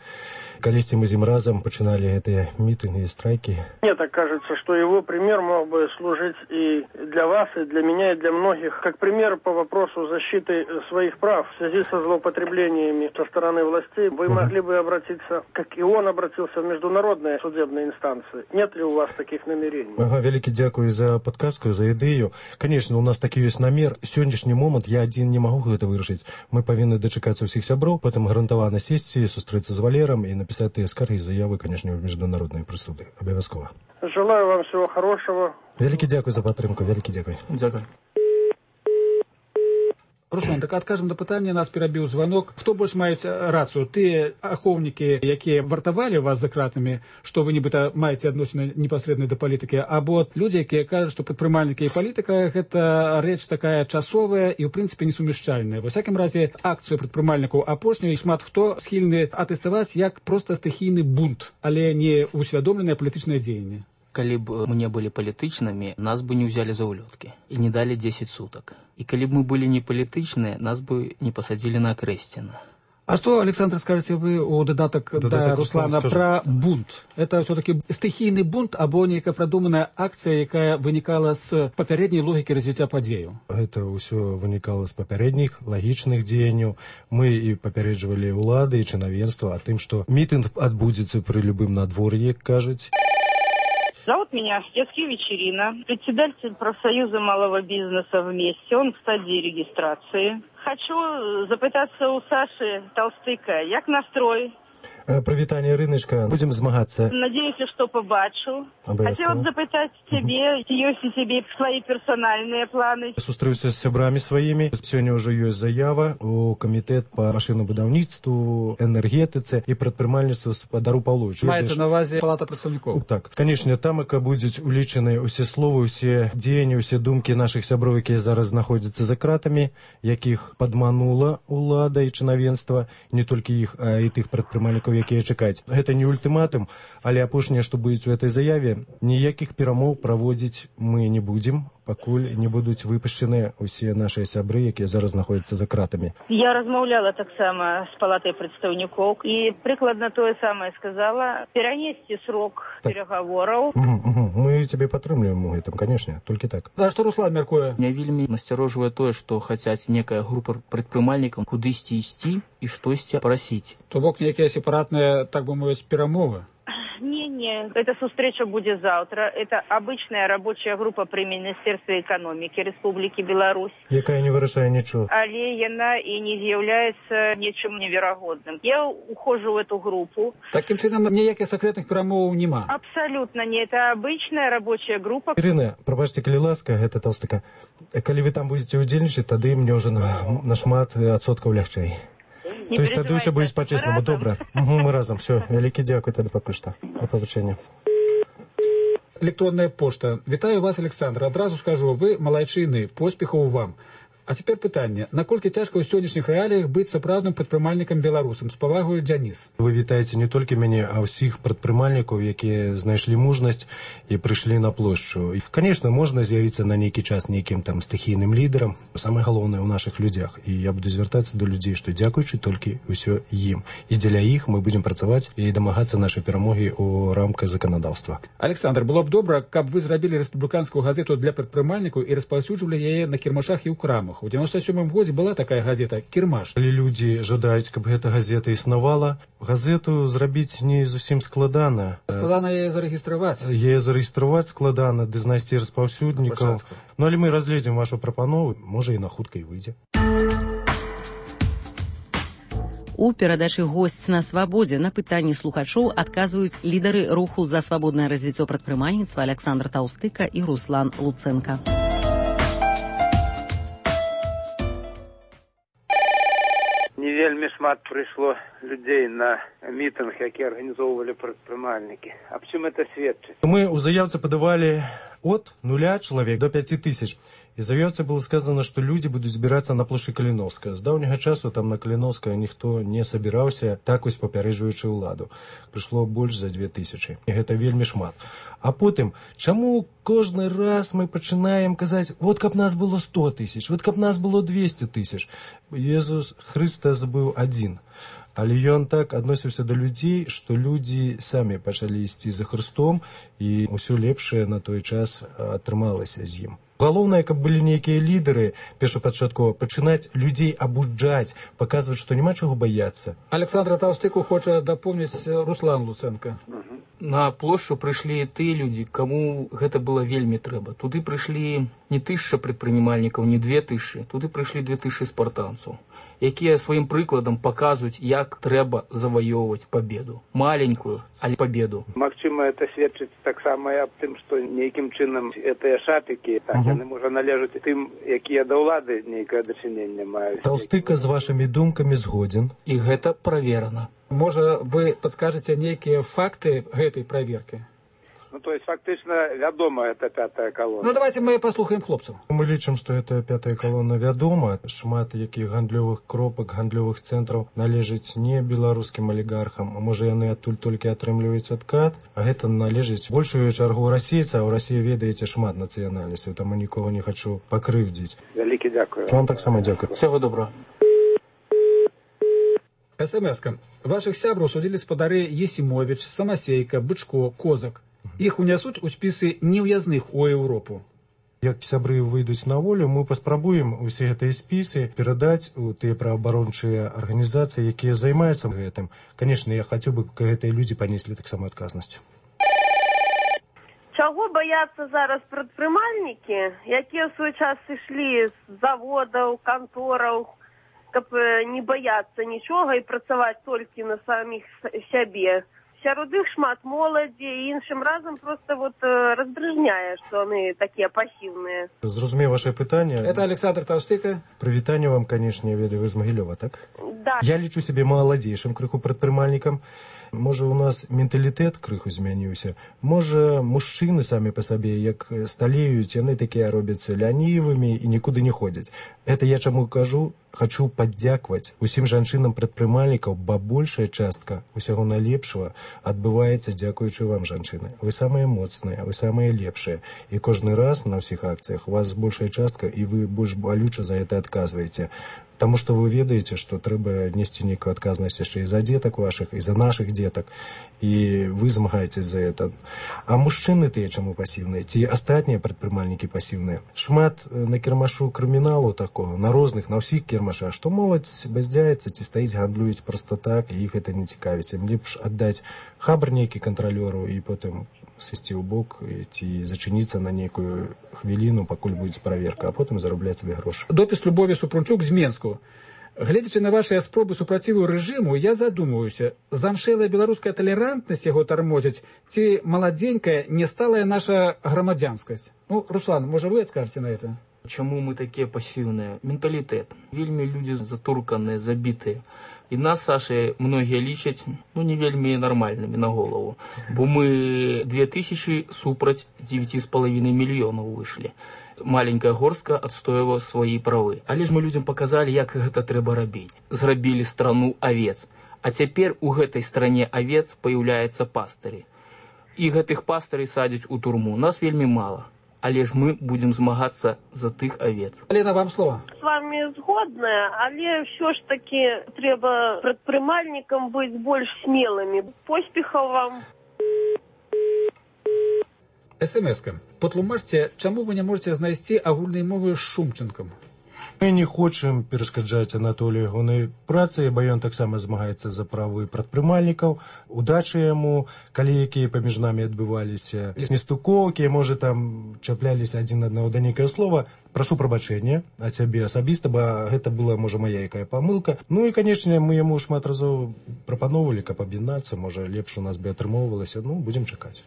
Колись мы с ним разом начинали эти митинги и страйки. Мне так кажется, что его пример мог бы служить и для вас, и для меня, и для многих, как пример по вопросу защиты своих прав в связи со злоупотреблениями со стороны властей. Вы угу. могли бы обратиться, как и он обратился, в международные судебные инстанции. Нет ли у вас таких намерений? Ага, великий дякую за подсказку, за идею. Конечно, у нас таки есть намер. Сегодняшний момент я один не могу это вырашить. Мы повинны дочекаться всех сябров, потом гарантовано сесть, встретиться с Валером и написать эти скарги и заявы, конечно, в международные присуды. Обовязково. Желаю вам всего хорошего. Великий дякую за підтримку, великий дякую. Дякую. Руслан, так адкажем на пытанне, нас перабіў звонок. Хто больш маюць рацыю? Тыя ахоўнікі, якія вартавалі вас за кратамі, што вы нібыта маеце адносіны непасрэдна да палітыкі, або людзі, якія кажуць, што прадпрымальнікі і палітыка гэта рэч такая часовая і ў прынцыпе несумяшчальная. Ва всякім разе акцыю прадпрымальнікаў апошняй шмат хто схільны атэставаць як проста стыхійны бунт, але не усвядомленае палітычнае дзеянне. Калі б мы не былі палітычнымі, нас бы не ўзялі за ўлёткі і не далі дзесяць сутак. І калі б мы былі не палітычныя, нас бы не пасадзілі на Акрэсціна. А что, Александр, скажете вы у додаток да Руслана про бунт? Это все-таки стихийный бунт, або некая продуманная акция, якая выникала с попередней логики развития подею? Это все выникало с попередних логичных деяний. Мы и попередживали улады и чиновенство о том, что митинг отбудется при любым надворье, кажется. Зовут меня Стецкевич Ирина, председатель профсоюза малого бизнеса «Вместе». Он в стадии регистрации. Хочу запытаться у Саши Таўстыка, як настрой? Привітання, Іриночка. Будем змагатися. Надеюсь, что побачу. Хотела бы запытать тебе, есть ли тебе свои персональные планы? Сустрівся з сябрами своїми. Сьогодні вже є заява у комітет по машинобудівництву, енергетиці і предпринимальництву Сподару Павловичу. Мається на увазі Палата представників? Так. Звісно, там яка будуть улічені усі слова, усі діяння, усі думки наших сябров, які зараз знаходяться за кратами, яких підманула улада і чиновенство, не тільки їх, а і тих предпринимальників, які чекають. Гэта не ультиматум, але апошняе, што будзе у этой заяве, ніякіх перамоў праводзіць мы не будзем, пакуль не будуць выпушчаны усе нашыя сябры, якія зараз знаходзяцца за кратамі. Я размаўляла таксама з палатай прадстаўнікоў і прыкладна тое самае сказала. Перанесці срок так. пераговораў. Угу, угу. Мы цябе падтрымліваем у гэтым, канешне, толькі так. А што Руслан мяркуе? Меня вельмі насцярожвае тое, што хацяць некая група прадпрымальнікаў кудысьці ісці і штосьці прасіць. То бок некія сепаратныя, так бы мовіць, перамовы? Не-не, эта встреча будет завтра. Это обычная рабочая группа при Министерстве экономики Республики Беларусь. Якая не вырашае ничего. Але яна и не является ничем невероятным. Я ухожу в эту группу. Таким чином, никаких секретных перемов нема? Абсолютно не. Это обычная рабочая группа. Ирина, пробачьте, коли ласка, это Таўстыка. Коли вы там будете удельничать, тогда мне уже на, на шмат отсотков легче. Не То есть тогда все будет по-честному. Добре. Угу, мы разом. Все. Великий дякую тогда пока что. До побачення. Электронная пошта. Вітаю вас, Александр. Одразу скажу, вы молодчины. Поспехов вам. А цяпер пытанне, наколькі цяжка ў сённяшніх рэаліях быць сапраўдным прадпрымальнікам беларусам? З павагою, Дзяніс. Вы вітаеце не толькі мяне, а ўсіх прадпрымальнікаў, якія знайшлі мужнасць і прыйшлі на плошчу. Конечно, можна з'явіцца на нейкі час нейкім там стыхійным лідарам. Самае галоўнае ў нашых людзях. І я буду звяртацца да людзей, што дзякуючы толькі ўсё ім. І дзеля іх мы будзем працаваць і дамагацца нашай перамогі ў рамках заканадаўства. Александр, было б добра, каб вы зрабілі рэспубліканскую газету для прадпрымальнікаў і распаўсюджвалі яе на кірмашах і ў крамах. У дзевяносто сёмым годзе была такая газета «Кірмаш». Калі людзі жадаюць, каб гэта газета існавала, газету зрабіць не зусім складана. Складана яе зарэгістраваць. Яе зарэгістраваць складана, ды знайсці распаўсюднікаў. Ну, але мы разгледзім вашу прапанову, можа і на хуткай выйдзе. У перадачы «Госць на свабодзе» на пытанні слухачоў адказваюць лідары руху за свабоднае развіццё прадпрымальніцтва Александр Таўстыка і Руслан Луценка. Не вельмі шмат прыйшло людзей на мітынг, які арганізоўвалі прадпрымальнікі. Аб чым это сведчыць? Мы ў заяўцы падавалі от нуля чалавек до пяти тысяч. І заяўцы было сказано, што людзі будуць збірацца на плошчы Каліновская. З даўняга часу там на Каліновская ніхто не сабіраўся, так вось папярэджваючы ўладу. Прыйшло больш за две тысячы. І гэта вельмі шмат. А потым, чаму кожны раз мы пачынаем казаць, вот каб нас было сто тысяч, вот каб нас было двести тысяч. Езус Христос быў адзін. Але ён так адносіўся да людзей, што людзі самі пачалі ісці за Христом, і ўсё лепшае на той час атрымалася з ім. Галоўнае, каб былі нейкія лідары, першапачаткова, пачынаць людзей абуджаць, паказваць, што няма чаго баяцца. Александра Таўстыку хоча дапомніць Руслан Луценка. На плошчу прыйшлі тыя людзі, каму гэта было вельмі трэба. Туды прыйшлі не тысяча прадпрымальнікаў, не две тысячы, туды прыйшлі две тысячы спартанцаў, якія сваім прыкладам паказваюць, як трэба заваёўваць пабеду. Маленькую, але пабеду. Магчыма, это сведчыць таксама і аб тым, што нейкім чынам гэтыя шапікі, так, яны, можа, належаць тым, якія да ўлады нейкае дачыненне маюць. Таўстыка з вашымі думкамі згодзін. І гэта праверана. Можа, вы падскажаце нейкія факты гэтай праверкі? Ну, то есть, фактично, вядома, это пятая колонна. Ну, давайте мы послухаем хлопцаў. Мы лічым, што это пятая колонна вядома. Шмат якіх гандлёвых кропак, гандлёвых цэнтраў належыць не беларускім алігархам, а можа яны адтуль толькі атрымліваюць адкат, а гэта належыць большую чаргу расейца, а ў Расіі ведаеце шмат нацыянальнасцяў, таму нікога не хачу пакрыўдзіць. Вялікі дзякую. Вам таксама дзякую. Всего доброго. СМС-ка. Вашых сябраў судзілі спадары Есімовіч, Самасейка, Бычко, Козак. Іх унясуць у спісы неўязных у Еўропу. Як сябры выйдуць на волю, мы паспрабуем усе гэтыя спісы перадаць у тыя праваабарончыя арганізацыі, якія займаюцца гэтым. Канешне, я хацеў бы, каб гэтыя людзі панеслі таксама адказнасць. Чаго баяцца зараз прадпрымальнікі, якія ў свой час ішлі з заводаў, кантораў, каб не баяцца нічога і працаваць толькі на саміх сябе. Сярод іх шмат моладзі, і іншым разам просто вот раздрыжняе, што яны такія пасіўныя. Зразумею ваше пытанне. Это Александр Таўстыка. Прывітанне вам, канешне, ведаю, вы з Магілёва, так? Да. Я лічу сябе маладзейшым крыху прадпрымальнікам. Можа, у нас менталітэт крыху змяніўся. Можа, мужчыны самі па сабе, як сталеюць, яны такія робяцца лянівымі і нікуды не ходзяць. Это я чаму кажу? Хачу падзякваць усім жанчынам-прадпрымальнікаў, бо большая частка усяго найлепшага адбываецца дзякуючы вам, жанчыны. Вы самыя моцныя, вы самыя лепшыя. І кожны раз на ўсіх акцыях у вас большая частка, і вы больш балюча за гэта адказваеце. Таму што вы ведаеце, што трэба несці нейкую адказнасць яшчэ і за дзетак вашых, і за нашых дзетак. І вы змагаецесь за гэта. А мужчыны тыя чаму пасіўныя? Ці астатнія прадпрымальнікі пасіўныя? Шмат на кірмашу крыміналу такого, на розных, на ўсіх кірмашах, што моладзь баздзяецца, ці стаіць, гандлююць проста так, і іх гэта не цікавіць. Ім лепш аддаць хабар нейкі кантралёру і потым сысці ў бок ці зачыніцца на нейкую хвіліну, пакуль будзе праверка, а потым зарабляць сабе грошы. Допіс Любові Супрунчук з Менску. Гледзячы на вашыя спробы супраціву рэжыму, я задумваюся, замшэлая беларуская талерантнасць яго тармозіць, ці маладзенькая, несталая наша грамадзянскасць? Ну, Руслан, можа, вы адкажаце на это? Чаму мы такія пасіўныя? Менталітэт. Вельмі людзі затурканыя, забітыя. І нас, Саша, многія лічаць, ну, не вельмі нармальнымі на голову. Бо мы две тысячи супраць девяти с половиной мільёнаў выйшлі. маленькая горстка адстойвала свае правы. Але ж мы людзям паказалі, як гэта трэба рабіць. Зрабілі страну авец. А цяпер у гэтай стране авец паяўляецца пастырі. І гэтых пастырей садзяць у турму. Нас вельмі мала. Але ж мы будем змагацца за тых овец. Алена, вам слово. С вами згодная, але все ж таки трэба прадпрымальнікам быць больш смелымі. Поспехаў вам. СМС-ка. Патлумачце, чаму вы не можете знайсці агульнай мовы з Шумченкам? Мы не хочам перашкаджаць Анатолію ягонай працы, бо ён таксама змагаецца за правы прадпрымальнікаў. Удачы яму, калі якія паміж намі адбываліся нестукоўкі, можа там чапляліся адзін аднаго да нейкае слова. Прашу прабачэння ад цябе асабіста, бо гэта была, можа, мая якая памылка. Ну і, канечне, мы яму шмат разоў прапаноўвалі, каб аб'яднацца, можа, лепш у нас бы атрымоўвалася. Ну, будзем чакаць.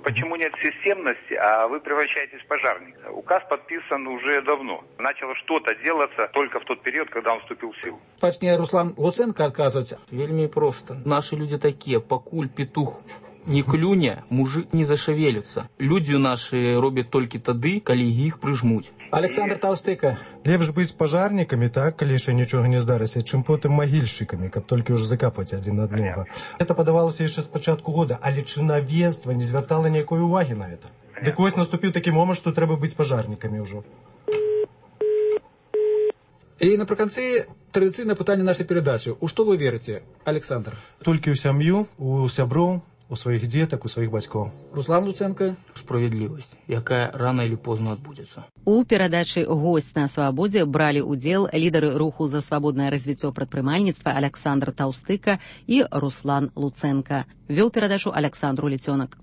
Почему нет системности, а вы превращаетесь в пожарника? Указ подписан уже давно. Начало что-то делаться только в тот период, когда он вступил в силу. Пачне Руслан Луценко адказваць. Вельмі проста. Наши люди такие, пакуль петух не клюне, мужик не зашавелится. Люди наши робят толькі тады, калі іх прыжмуць. Александр Толстыка. Лепш быць пажарнікамі, так, калі яшчэ нічога не здарыся, чым потым магільшчыкамі, каб толькі ўжо закапаць адзін аднаго. Гэта падавалася яшчэ з пачатку года, але чынавенства не звяртала ніякой увагі на гэта. Дык вось наступіў такі момант, што трэба быць пажарнікамі ўжо. І напрыканцы традыцыйнае пытанне нашай перадачы. У што вы верыце, Александр? Толькі ў сям'ю, у сяброў, у сваіх дзетак, у сваіх бацькоў. Руслан Луценко. Справядлівасць, якая рана или позна адбудзецца. У перадачы «Госць на свабодзе» бралі ўдзел лідары руху за свабоднае развіццё прадпрымальніцтва Александр Таўстыка і Руслан Луценко. Вёў перадачу Александру Ліцёнак.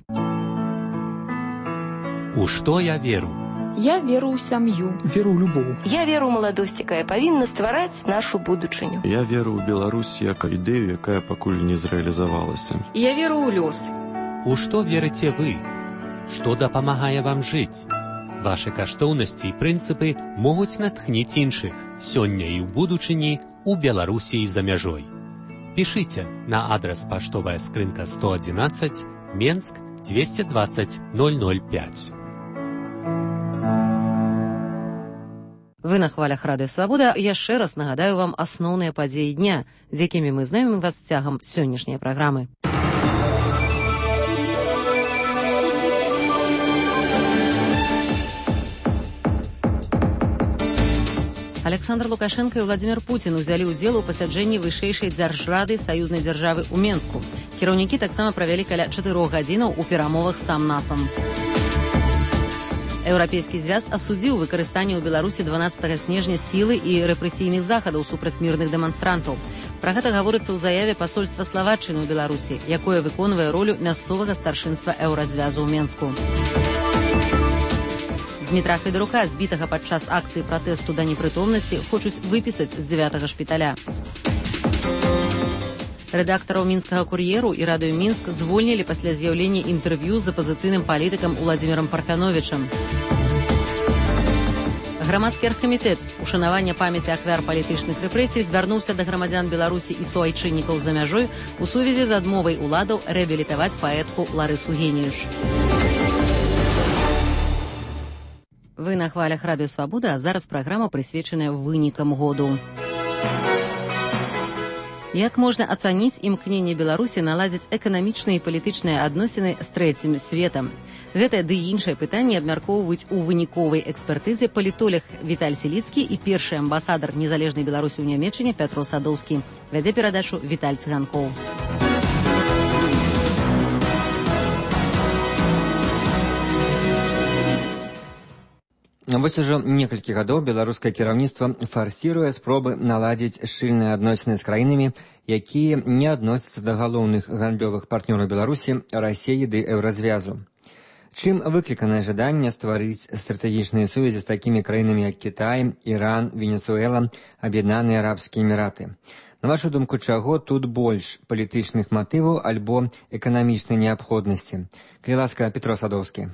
У што я веру? Я веру ў сям'ю. Веру ў любоў. Я веру ў маладосць, якая павінна ствараць нашу будучыню. Я веру ў Беларусь як ідэю, якая пакуль не зрэалізавалася. Я веру ў лёс. У што верыце вы? Што дапамагае вам жыць? Вашы каштоўнасці і прынцыпы могуць натхніць іншых сёння і ў будучыні у Беларусі і за мяжой. Пішыце на адрас паштовая скрынка сто адзінаццаць, Менск, двести двадцать ноль ноль пять. Вы на хвалях Радыё Свабода. Яшчэ раз нагадаю вам асноўныя падзеі дня, з якімі мы знаёмім вас цягам сённяшняй праграмы. Александр Лукашенко і Владимир Путин узялі ўдзел у пасяджэнні вышэйшай дзяржрады саюзнай дзяржавы ў Менску. Кіраўнікі таксама правялі каля чатырох гадзінаў у перамовах сам-насам. Еўрапейскі звяз асудзіў выкарыстанне ў Беларусі дванаццатага снежня сілы і рэпрэсійных захадаў супраць мірных дэманстрантаў. Пра гэта гаворыцца ў заяве пасольства Славаччыны ў Беларусі, якое выконвае ролю мясцовага старшынства еўразвязу ў Менску. Дмітра Федарука, збітага падчас акцыі пратэсту да непрытомнасці, хочуць выпісаць з дзявятага шпіталя. Рэдактараў мінскага кур'еру і радыё Мінск звольнілі пасля з'яўлення інтэрв'ю з апазіцыйным палітыкам Уладзімірам Парфяновічам. Грамадскі аргкамітэт ушанавання памяці ахвяр палітычных рэпрэсій звярнуўся да грамадзян Беларусі і суайчыннікаў за мяжой у сувязі з адмовай уладаў рэабілітаваць паэтку Ларысу Геніюш. Вы на хвалях Радыё Свабода, а зараз праграма прысвечаная вынікам году. Як можна ацаніць імкненне Беларусі наладзіць эканамічныя і палітычныя адносіны з трэцім светам? Гэтае ды іншае пытанне абмяркоўваюць у выніковай экспертызе палітолог Віталь Селіцкі і першы амбасадар незалежнай Беларусі ў Нямецчыне Пятро Садоўскі. Вядзе перадачу Віталь Цыганкоў. Вось ужо некалькі гадоў беларускае кіраўніцтва фарсіруе спробы наладзіць шчыльныя адносіны з краінамі, якія не адносяцца да галоўных гандлёвых партнёраў Беларусі, Расіі ды еўразвязу. Чым выкліканае жаданне стварыць стратэгічныя сувязі з такімі краінамі, як Кітай, Іран, Венесуэла, Аб'яднаныя Арабскія Эміраты? На вашу думку, чаго тут больш палітычных матываў альбо эканамічнай неабходнасці? Калі ласка, Петро Садоўскі.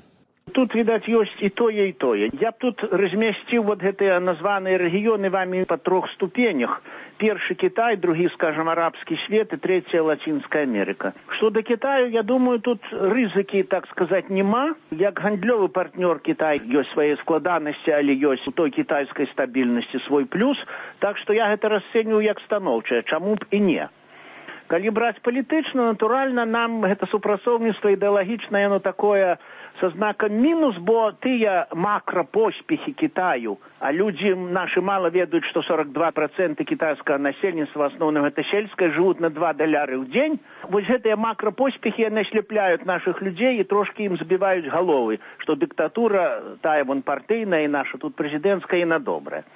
Тут, відаць, ёсць і тое, і тое. Я б тут размясціў вот гэтыя названыя рэгіёны вамі па трох ступенях. Першы Китай, другі, скажем, арабскі свет і трэцяя Лацінская Америка. Што да Китаю, я думаю, тут рызыкі, так сказаць, нема. Як гандлёвы партнёр Китай ёсць свае складанасці, але ёсць у той кітайскай стабільнасці свой плюс. Так што я гэта расцэньваю як станоўчае, чаму б і не. Калі браць палітычна, натуральна, нам гэта супрацоўніцтва ідэалагічнае, яно такое са знакам мінус, бо тыя макрапоспехі Китаю, а людзі нашы мала ведаюць, што сорок два проценты кітайскага насельніцтва, асноўным гэта сельскае, жывуць на два даляры ў дзень. Вось гэтыя макрапоспехі, яны ашляпляюць нашых людзей і трошкі ім забіваюць галовы, што дыктатура, тая вон партыйная і наша тут прэзідэнцкая, і на добрая.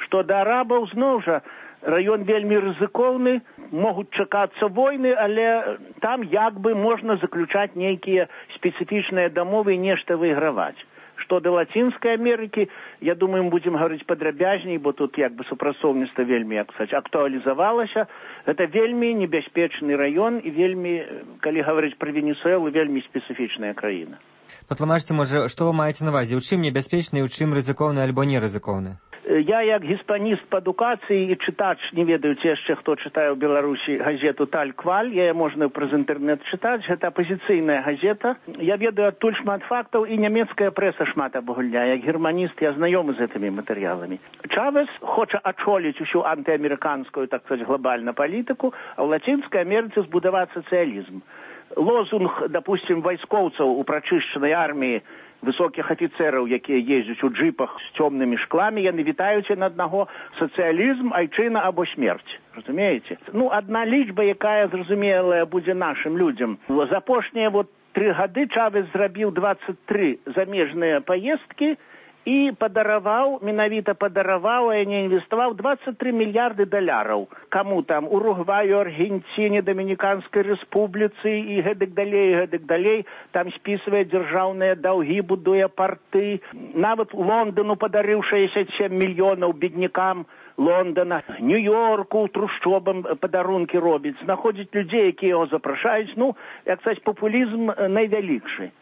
Што да арабаў, зноў жа, раён вельмі рызыкоўны, могуць чакацца войны, але там як бы можна заключаць нейкія спецыфічныя дамовы і нешта выйграваць. Што да Лацінскай Амерыкі, я думаю, мы будзем гаварыць падрабязней, бо тут як бы супрацоўніцтва вельмі, як сказаць, актуалізавалася. Гэта вельмі небяспечны раён і вельмі, калі гаварыць пра Венесуэлу, вельмі спецыфічная краіна. Патлумачце, можа, што вы маеце на ўвазе? У чым небяспечны, у чым рызыкоўны альбо нерызыкоўны? Я, як гіспаніст па адукацыі і чытач, не ведаю яшчэ, хто чытае ў Беларусі газету «Таль-Кваль», я можна праз інтэрнэт чытаць, гэта апазіцыйная газета. Я ведаю адтуль шмат фактаў, і нямецкая прэса шмат абагульняе. Як германіст я знаёмы з гэтымі матэрыяламі. Чавес хоча ачоліць усю антыамерыканскую, так сказаць, глобальную палітыку, а ў Лацінскай Амерыцы збудаваць сацыялізм. Лозунг, допустим, вайскоўцаў у прачышчанай арміі, высокіх афіцэраў, якія ездзяць у джипах з цёмнымі шкламі, яны вітаюць на аднаго: сацыялізм, айчына або смерць. Разумееце? Ну, адна лічба, якая зразумелая будзе нашым людзям. За апошнія вот тры гады Чавес зрабіў двадцать тры замежныя паездкі і падараваў, менавіта падараваў, а не інвеставаў двадцать тры мільярды даляраў. Каму там? Уругваю, Аргенціне, Дамініканскай рэспубліцы і гэтак далей, гэтак далей. Там спісвае дзяржаўныя даўгі, будуе парты. Нават Лондану падарыў шэсцьдзесят сем мільёнаў беднякам Лондона, Нью-Йорку, трушчобам падарункі робіць. Знаходзіць людзей, якія яго запрашаюць. Ну, як сказаць, папулізм найвялікшы.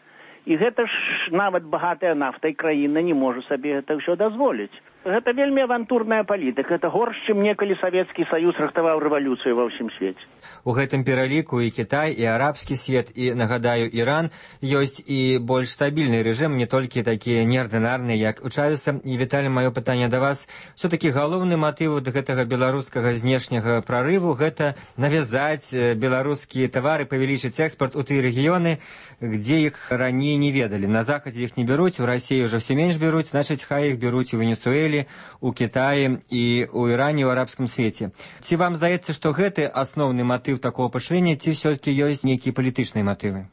І гэта ж нават багатая нафтай краіна не можа сабе гэта ўсё дазволіць. Гэта вельмі авантурная палітыка. Гэта горш, чым некалі Савецкі Саюз рыхтаваў рэвалюцыю ва ўсім свеце. У гэтым пераліку і Кітай, і арабскі свет, і, нагадаю, Іран ёсць і больш стабільны рэжым, не толькі такія неардынарныя, як у Чавеса. І, Віталій, маё пытанне да вас. Все-таки галоўны матыў гэтага беларускага знешняга прарыву — гэта навязаць беларускія тавары, павялічыць экспорт у тыя рэгіёны, дзе іх раней не ведалі. На захадзе іх не бяруць, у Расіі ўжо все менш бяруць, значыць, хай іх бяруць у Венесуэле, у Китаі і у Іране, у арабскім свеце. Ці вам здаецца, што гэты асноўны матыў такого пашырэння, ці все-таки ёсць нейкія палітычныя матывы?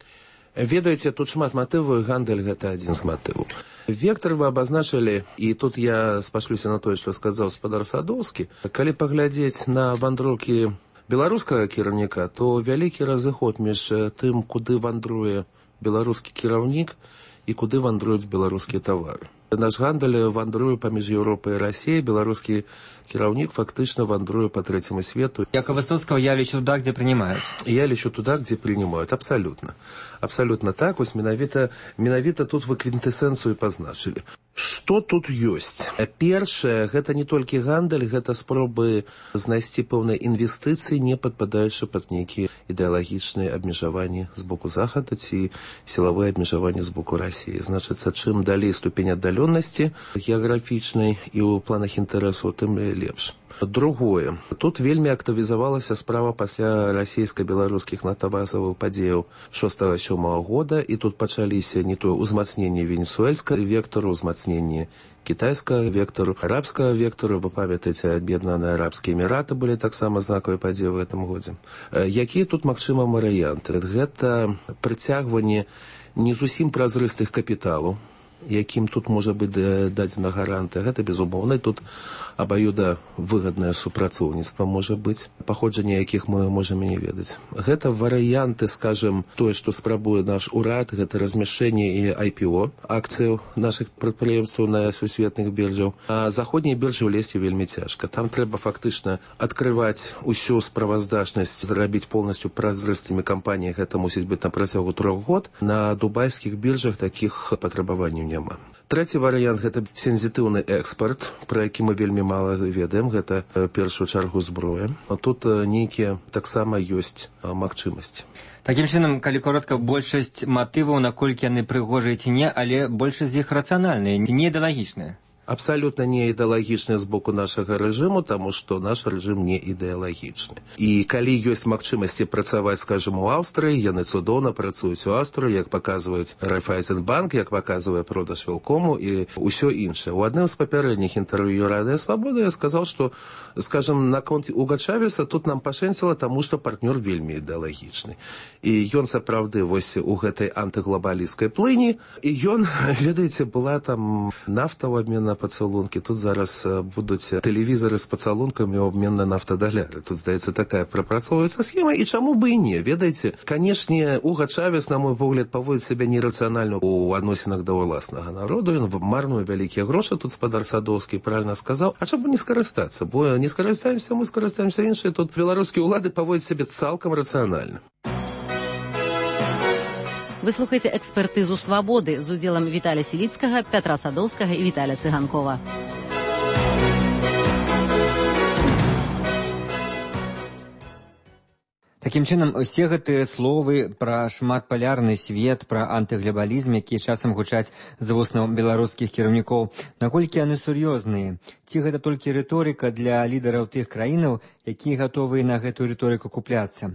Ведаеце, тут шмат матываў, і гандаль гэта адзін з матываў. Вектор вы абазначылі, і тут я спашлюся на тое, што сказаў спадар Садоўскі. Калі паглядзець на вандроўкі беларускага кіраўніка, то вялікі разыход між тым, куды вандруе беларускі кіраўнік і куды вандруюць беларускія тавары. Наш гандаль вандруе паміж Еўропай і Расіяй, беларускі кіраўнік фактычна вандруе по трэцяму свету. Як Высоцкого, я лечу туда, где принимают. Я лечу туда, где принимают. Абсолютно. Абсолютно так. Вось менавіта, менавіта тут вы квінтэсэнцыю пазначылі. Што тут ёсць? Першае, гэта не толькі гандаль, гэта спробы знайсці пэўныя інвестыцыі, не падпадаючы пад нейкія ідэалагічныя абмежаванні з боку Захада ці сілавыя абмежаванні з боку Расіі. Значыцца, чым далей ступень аддаленасці геаграфічнай і ў планах інтарэсу, тым лепш. Другое. Тут вельмі актывізавалася справа пасля расійска-беларускіх нафтавазавых падзеяў шостага-сёмага года, і тут пачаліся не то ўзмацненне венесуэльскага вектару, ўзмацненне кітайскага вектару, арабскага вектару. Вы памятаеце, аб'яднаныя арабскія эміраты былі таксама знакавыя падзеі ў гэтым годзе. Якія тут магчыма варыянты? Гэта прыцягванне не зусім празрыстых капіталу якім тут можа быць дадзена гарантыя, гэта безумоўна, тут абаюда выгаднае супрацоўніцтва можа быць, паходжанне якіх мы можам і не ведаць. Гэта варыянты, скажем, тое, што спрабуе наш урад, гэта размяшчэнне і ай пі о акцыяў нашых прадпрыемстваў на сусветных біржаў. А заходнія біржы ўлезці вельмі цяжка. Там трэба фактычна адкрываць усю справаздачнасць, зрабіць полностью празрыстымі кампаніі, гэта мусіць быць на працягу трох год. На дубайскіх біржах такіх патрабаванняў няма. Трэці варыянт – гэта сензітыўны экспарт, пра які мы вельмі мала ведаем, гэта першую чаргу зброя. А тут нейкія таксама ёсць магчымасці. Такім чынам, калі коротка, большасць матываў, наколькі яны прыгожыя ці не, але большасць з іх рацыянальныя, не ідэалагічныя. Абсолютно не ідэалагічны з боку нашага рэжыму, таму што наш рэжым не ідэалагічны. І калі ёсць магчымасці працаваць, скажем, у Аўстрыі, яны цудоўна працуюць у Аўстрыі, як паказваюць Райфайзенбанк, як паказвае продаж Велкому і ўсё іншае. У адным з папярэдніх інтэрв'ю Радыё Свабода я сказаў, што, скажем, наконт Уга Чавеса тут нам пашэнціла, таму што партнёр вельмі ідэалагічны. І ён сапраўды вось у гэтай антыглобалісцкай плыні, і ён, ведаеце, была там нафта ў абмен на пацалункі. Тут зараз будуць тэлевізары з пацалункамі ў абмен на нафтадаляры. Тут, здаецца, такая прапрацоўваецца схема, і чаму бы і не, ведаеце? Канешне, Уга Чавес, на мой погляд, паводзіць сябе нерацыянальна ў адносінах да ўласнага народу. Ён марнуе вялікія грошы, тут спадар Садоўскі правільна сказаў. А чаму не скарыстацца? Бо не скарыстаемся, мы скарыстаемся іншыя. Тут беларускія ўлады паводзяць сябе цалкам рацыянальна. Вы слухаеце экспертызу «Свабоды» з удзелам Віталія Сіліцкага, Пятра Садоўскага і Віталія Цыганкова. Такім чынам, усе гэтыя словы пра шматпалярны свет, пра антыглобалізм, якія часам гучаць з вуснаў беларускіх кіраўнікоў, наколькі яны сур'ёзныя? Ці гэта толькі рыторыка для лідараў тых краінаў, якія гатовыя на гэтую рыторыку купляцца?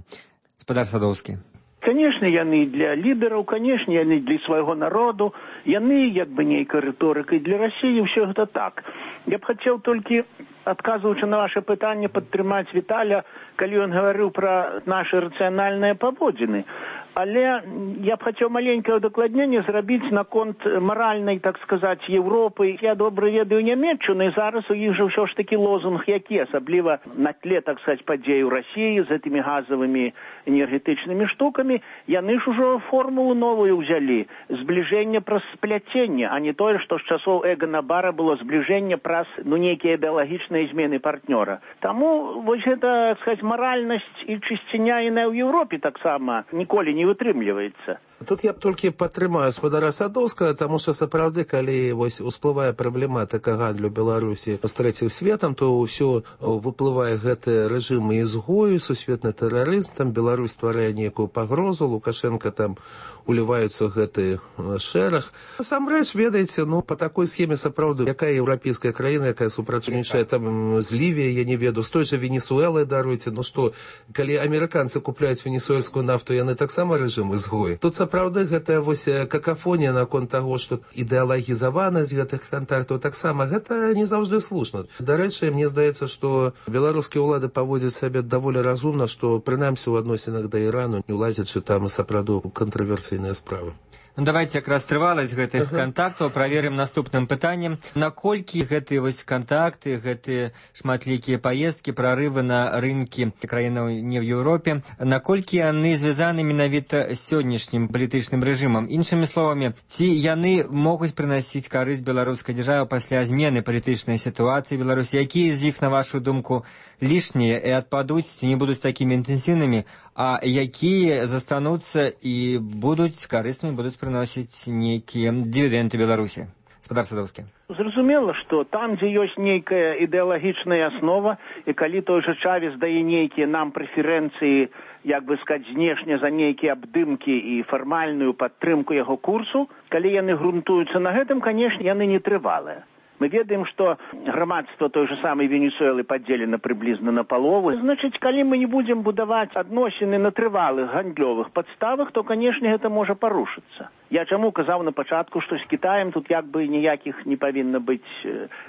Спадар Садоўскі. Конечно, яны для лідараў, конечно, яны для свайго народу, яны як бы нейкай рыторыкай для Расіі, ўсё гэта так. Я б хацеў толькі, адказваючы на ваше пытанне, падтрымаць Віталя, калі ён гаварыў пра нашы рацыянальныя паводзіны. Але я б хацеў маленькае удакладненне зрабіць наконт маральнай, так сказаць, Еўропы. Я добра ведаю Нямецчыну, і зараз у іх жа ўсё ж такі лозунг які, асабліва на тле, так сказаць, падзей у Расіі з гэтымі газавымі энергетычнымі штукамі, яны ж ужо формулу новую ўзялі. Збліжэнне праз спляценне, а не тое, што з часоў Эгана Бара было збліжэнне праз, ну, нейкія ідэалагічныя змены партнёра. Таму вось гэта, так сказаць, маральнасць і чысціня іная ў Еўропе таксама ніколі не вытрымліваецца. Тут я б толькі падтрымаю спадара Садоўскага, таму што сапраўды, калі вось усплывае праблематыка гандлю Беларусі з трэцім светам, то ўсё выплывае гэты рэжым ізгою, сусветны тэрарызм, там Беларусь стварае нейкую пагрозу, Лукашенко там уліваюцца гэты шэраг. Насамрэч, ведаеце, ну, па такой схеме сапраўды, якая еўрапейская краіна, якая супрацоўнічае там з Лівіяй, я не ведаю, з той жа Венесуэлай, даруйце, ну што, калі амерыканцы купляюць венесуэльскую нафту, яны таксама рэжым ізгой. Тут сапраўды гэтая вось какафонія наконт таго, што ідэалагізаванасць гэтых кантактаў таксама, гэта не заўжды слушна. Дарэчы, мне здаецца, што беларускія ўлады паводзяць сябе даволі разумна, што прынамсі ў адносінах да Ірану, не ўлазячы там сапраўды кантраверсійныя справы. Ну, давайте якраз трываласць гэтых кантактаў праверым наступным пытаннем. Наколькі гэтыя вось кантакты, гэтыя шматлікія паездкі, прарывы на рынкі краінаў не ў Еўропе, наколькі яны звязаны менавіта з сённяшнім палітычным рэжымам? Іншымі словамі, ці яны могуць прынасіць карысць беларускай дзяржаве пасля змены палітычнай сітуацыі Беларусі? Якія з іх, на вашу думку, лішнія і адпадуць, ці не будуць такімі інтэнсіўнымі, а якія застануцца і будуць карыснымі, будуць прыносіць нейкія дывідэнды Беларусі? Спадар Садоўскі. Зразумела, што там, дзе ёсць нейкая ідэалагічная аснова, і калі той жа Чавес дае нейкія нам прэферэнцыі, як бы сказаць, знешне за нейкія абдымкі і фармальную падтрымку яго курсу, калі яны грунтуюцца на гэтым, канешне, яны не трывалыя. Мы ведаем, што грамадства той же самой Венесуэлы падзелена прыблізна на палову. Значыць, калі мы не будзем будаваць адносіны на трывалых гандлёвых падставах, то, канешне, гэта можа парушыцца. Я чаму казаў на пачатку, што з Кітаем тут як бы ніякіх не павінна быць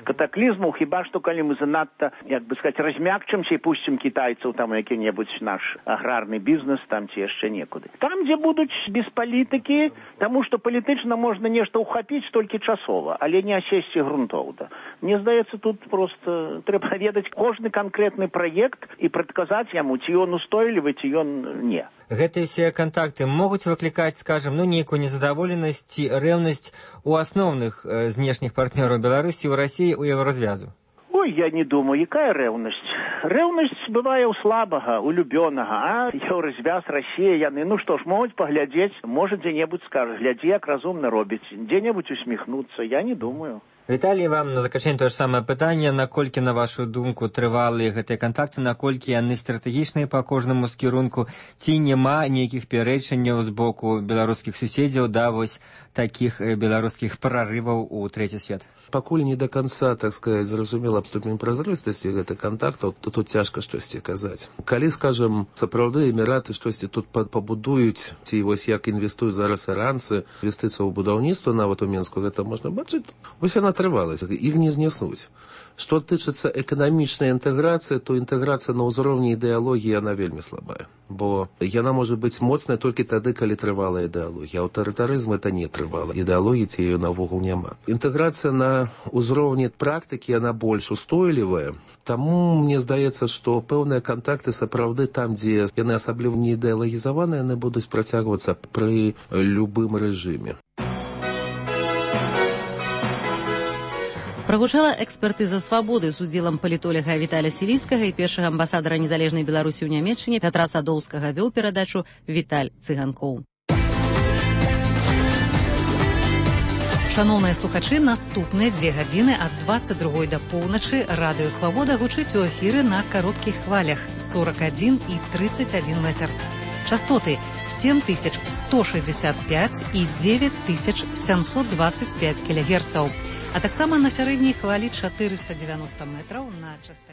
катаклізмаў, хіба што калі мы занадта, як бы сказаць, размякчымся і пусцім кітайцаў там які-небудзь наш аграрны бізнес там ці яшчэ некуды. Там, дзе будуць без палітыкі, таму што палітычна можна нешта ўхапіць толькі часова, але не асесці грунтоўна. Мне здаецца, тут просто трэба ведаць кожны канкрэтны праект і прадказаць яму, ці ён устойлівы, ці ён не. Гэтыя все контакты могуць выклікаць, скажем, ну, нейкую незадаволенасць ці рэўнасць у асноўных э, знешніх партнёраў Беларусі ў Расіі ў Еўразвязу? Ой, я не думаю, якая рэўнасць? Рэўнасць бывае ў слабага, у любёнага, а Еўразвяз, Расія, яны, ну што ж, могуць паглядзець, можа дзе-небудзь скажа, глядзі, як разумна робіць, дзе-небудзь усміхнуцца, я не думаю. Віталій, вам на заканчэнне тое ж самае пытанне, наколькі, на вашу думку, трывалыя гэтыя кантакты, наколькі яны стратэгічныя па кожнаму з кірунку, ці няма нейкіх пярэчанняў з боку беларускіх суседзяў да вось такіх беларускіх прарываў у трэці свет? Пакуль не до конца, так сказать, зразумела ступень празрыстасці гэтых кантактаў, то тут цяжка штосьці казаць. Калі, скажем, сапраўды эміраты штосьці тут пабудуюць, ці вось як інвестуюць зараз іранцы, інвестыцыя ў будаўніцтва нават у Менску, гэта можна бачыць, вось яна трывалася, іх не зняснуць. Што тычыцца эканамічнай інтэграцыі, то інтэграцыя на ўзроўні ідэалогіі, яна вельмі слабая. Бо яна можа быць моцная толькі тады, калі трывалая ідэалогія. Аўтарытарызм это не трывала. Ідэалогіі ці яе навогул няма. Інтэграцыя на ўзроўні практыкі, яна больш устойлівая. Таму мне здаецца, што пэўныя кантакты сапраўды там, дзе яны асабліва не ідэалагізаваныя, яны будуць працягвацца пры любым рэжыме. Прагучала экспертыза «Свабоды» з удзелам палітоляга Віталя Сіліцкага і першага амбасадара незалежнай Беларусі ў Нямецчыне Пятра Садоўскага. Вёў перадачу Віталь Цыганкоў. Шаноўныя слухачы, наступныя дзве гадзіны ад дваццаць другой да поўначы радыё «Свабода» гучыць у эфіры на кароткіх хвалях сорок адзін і тридцать один метр. Частоты семь тысяч сто шестьдесят пять і девять тысяч семьсот двадцать пять кілогерцаў, а таксама на сярэдняй хвалі чатырыста дзевяноста метраў на частоце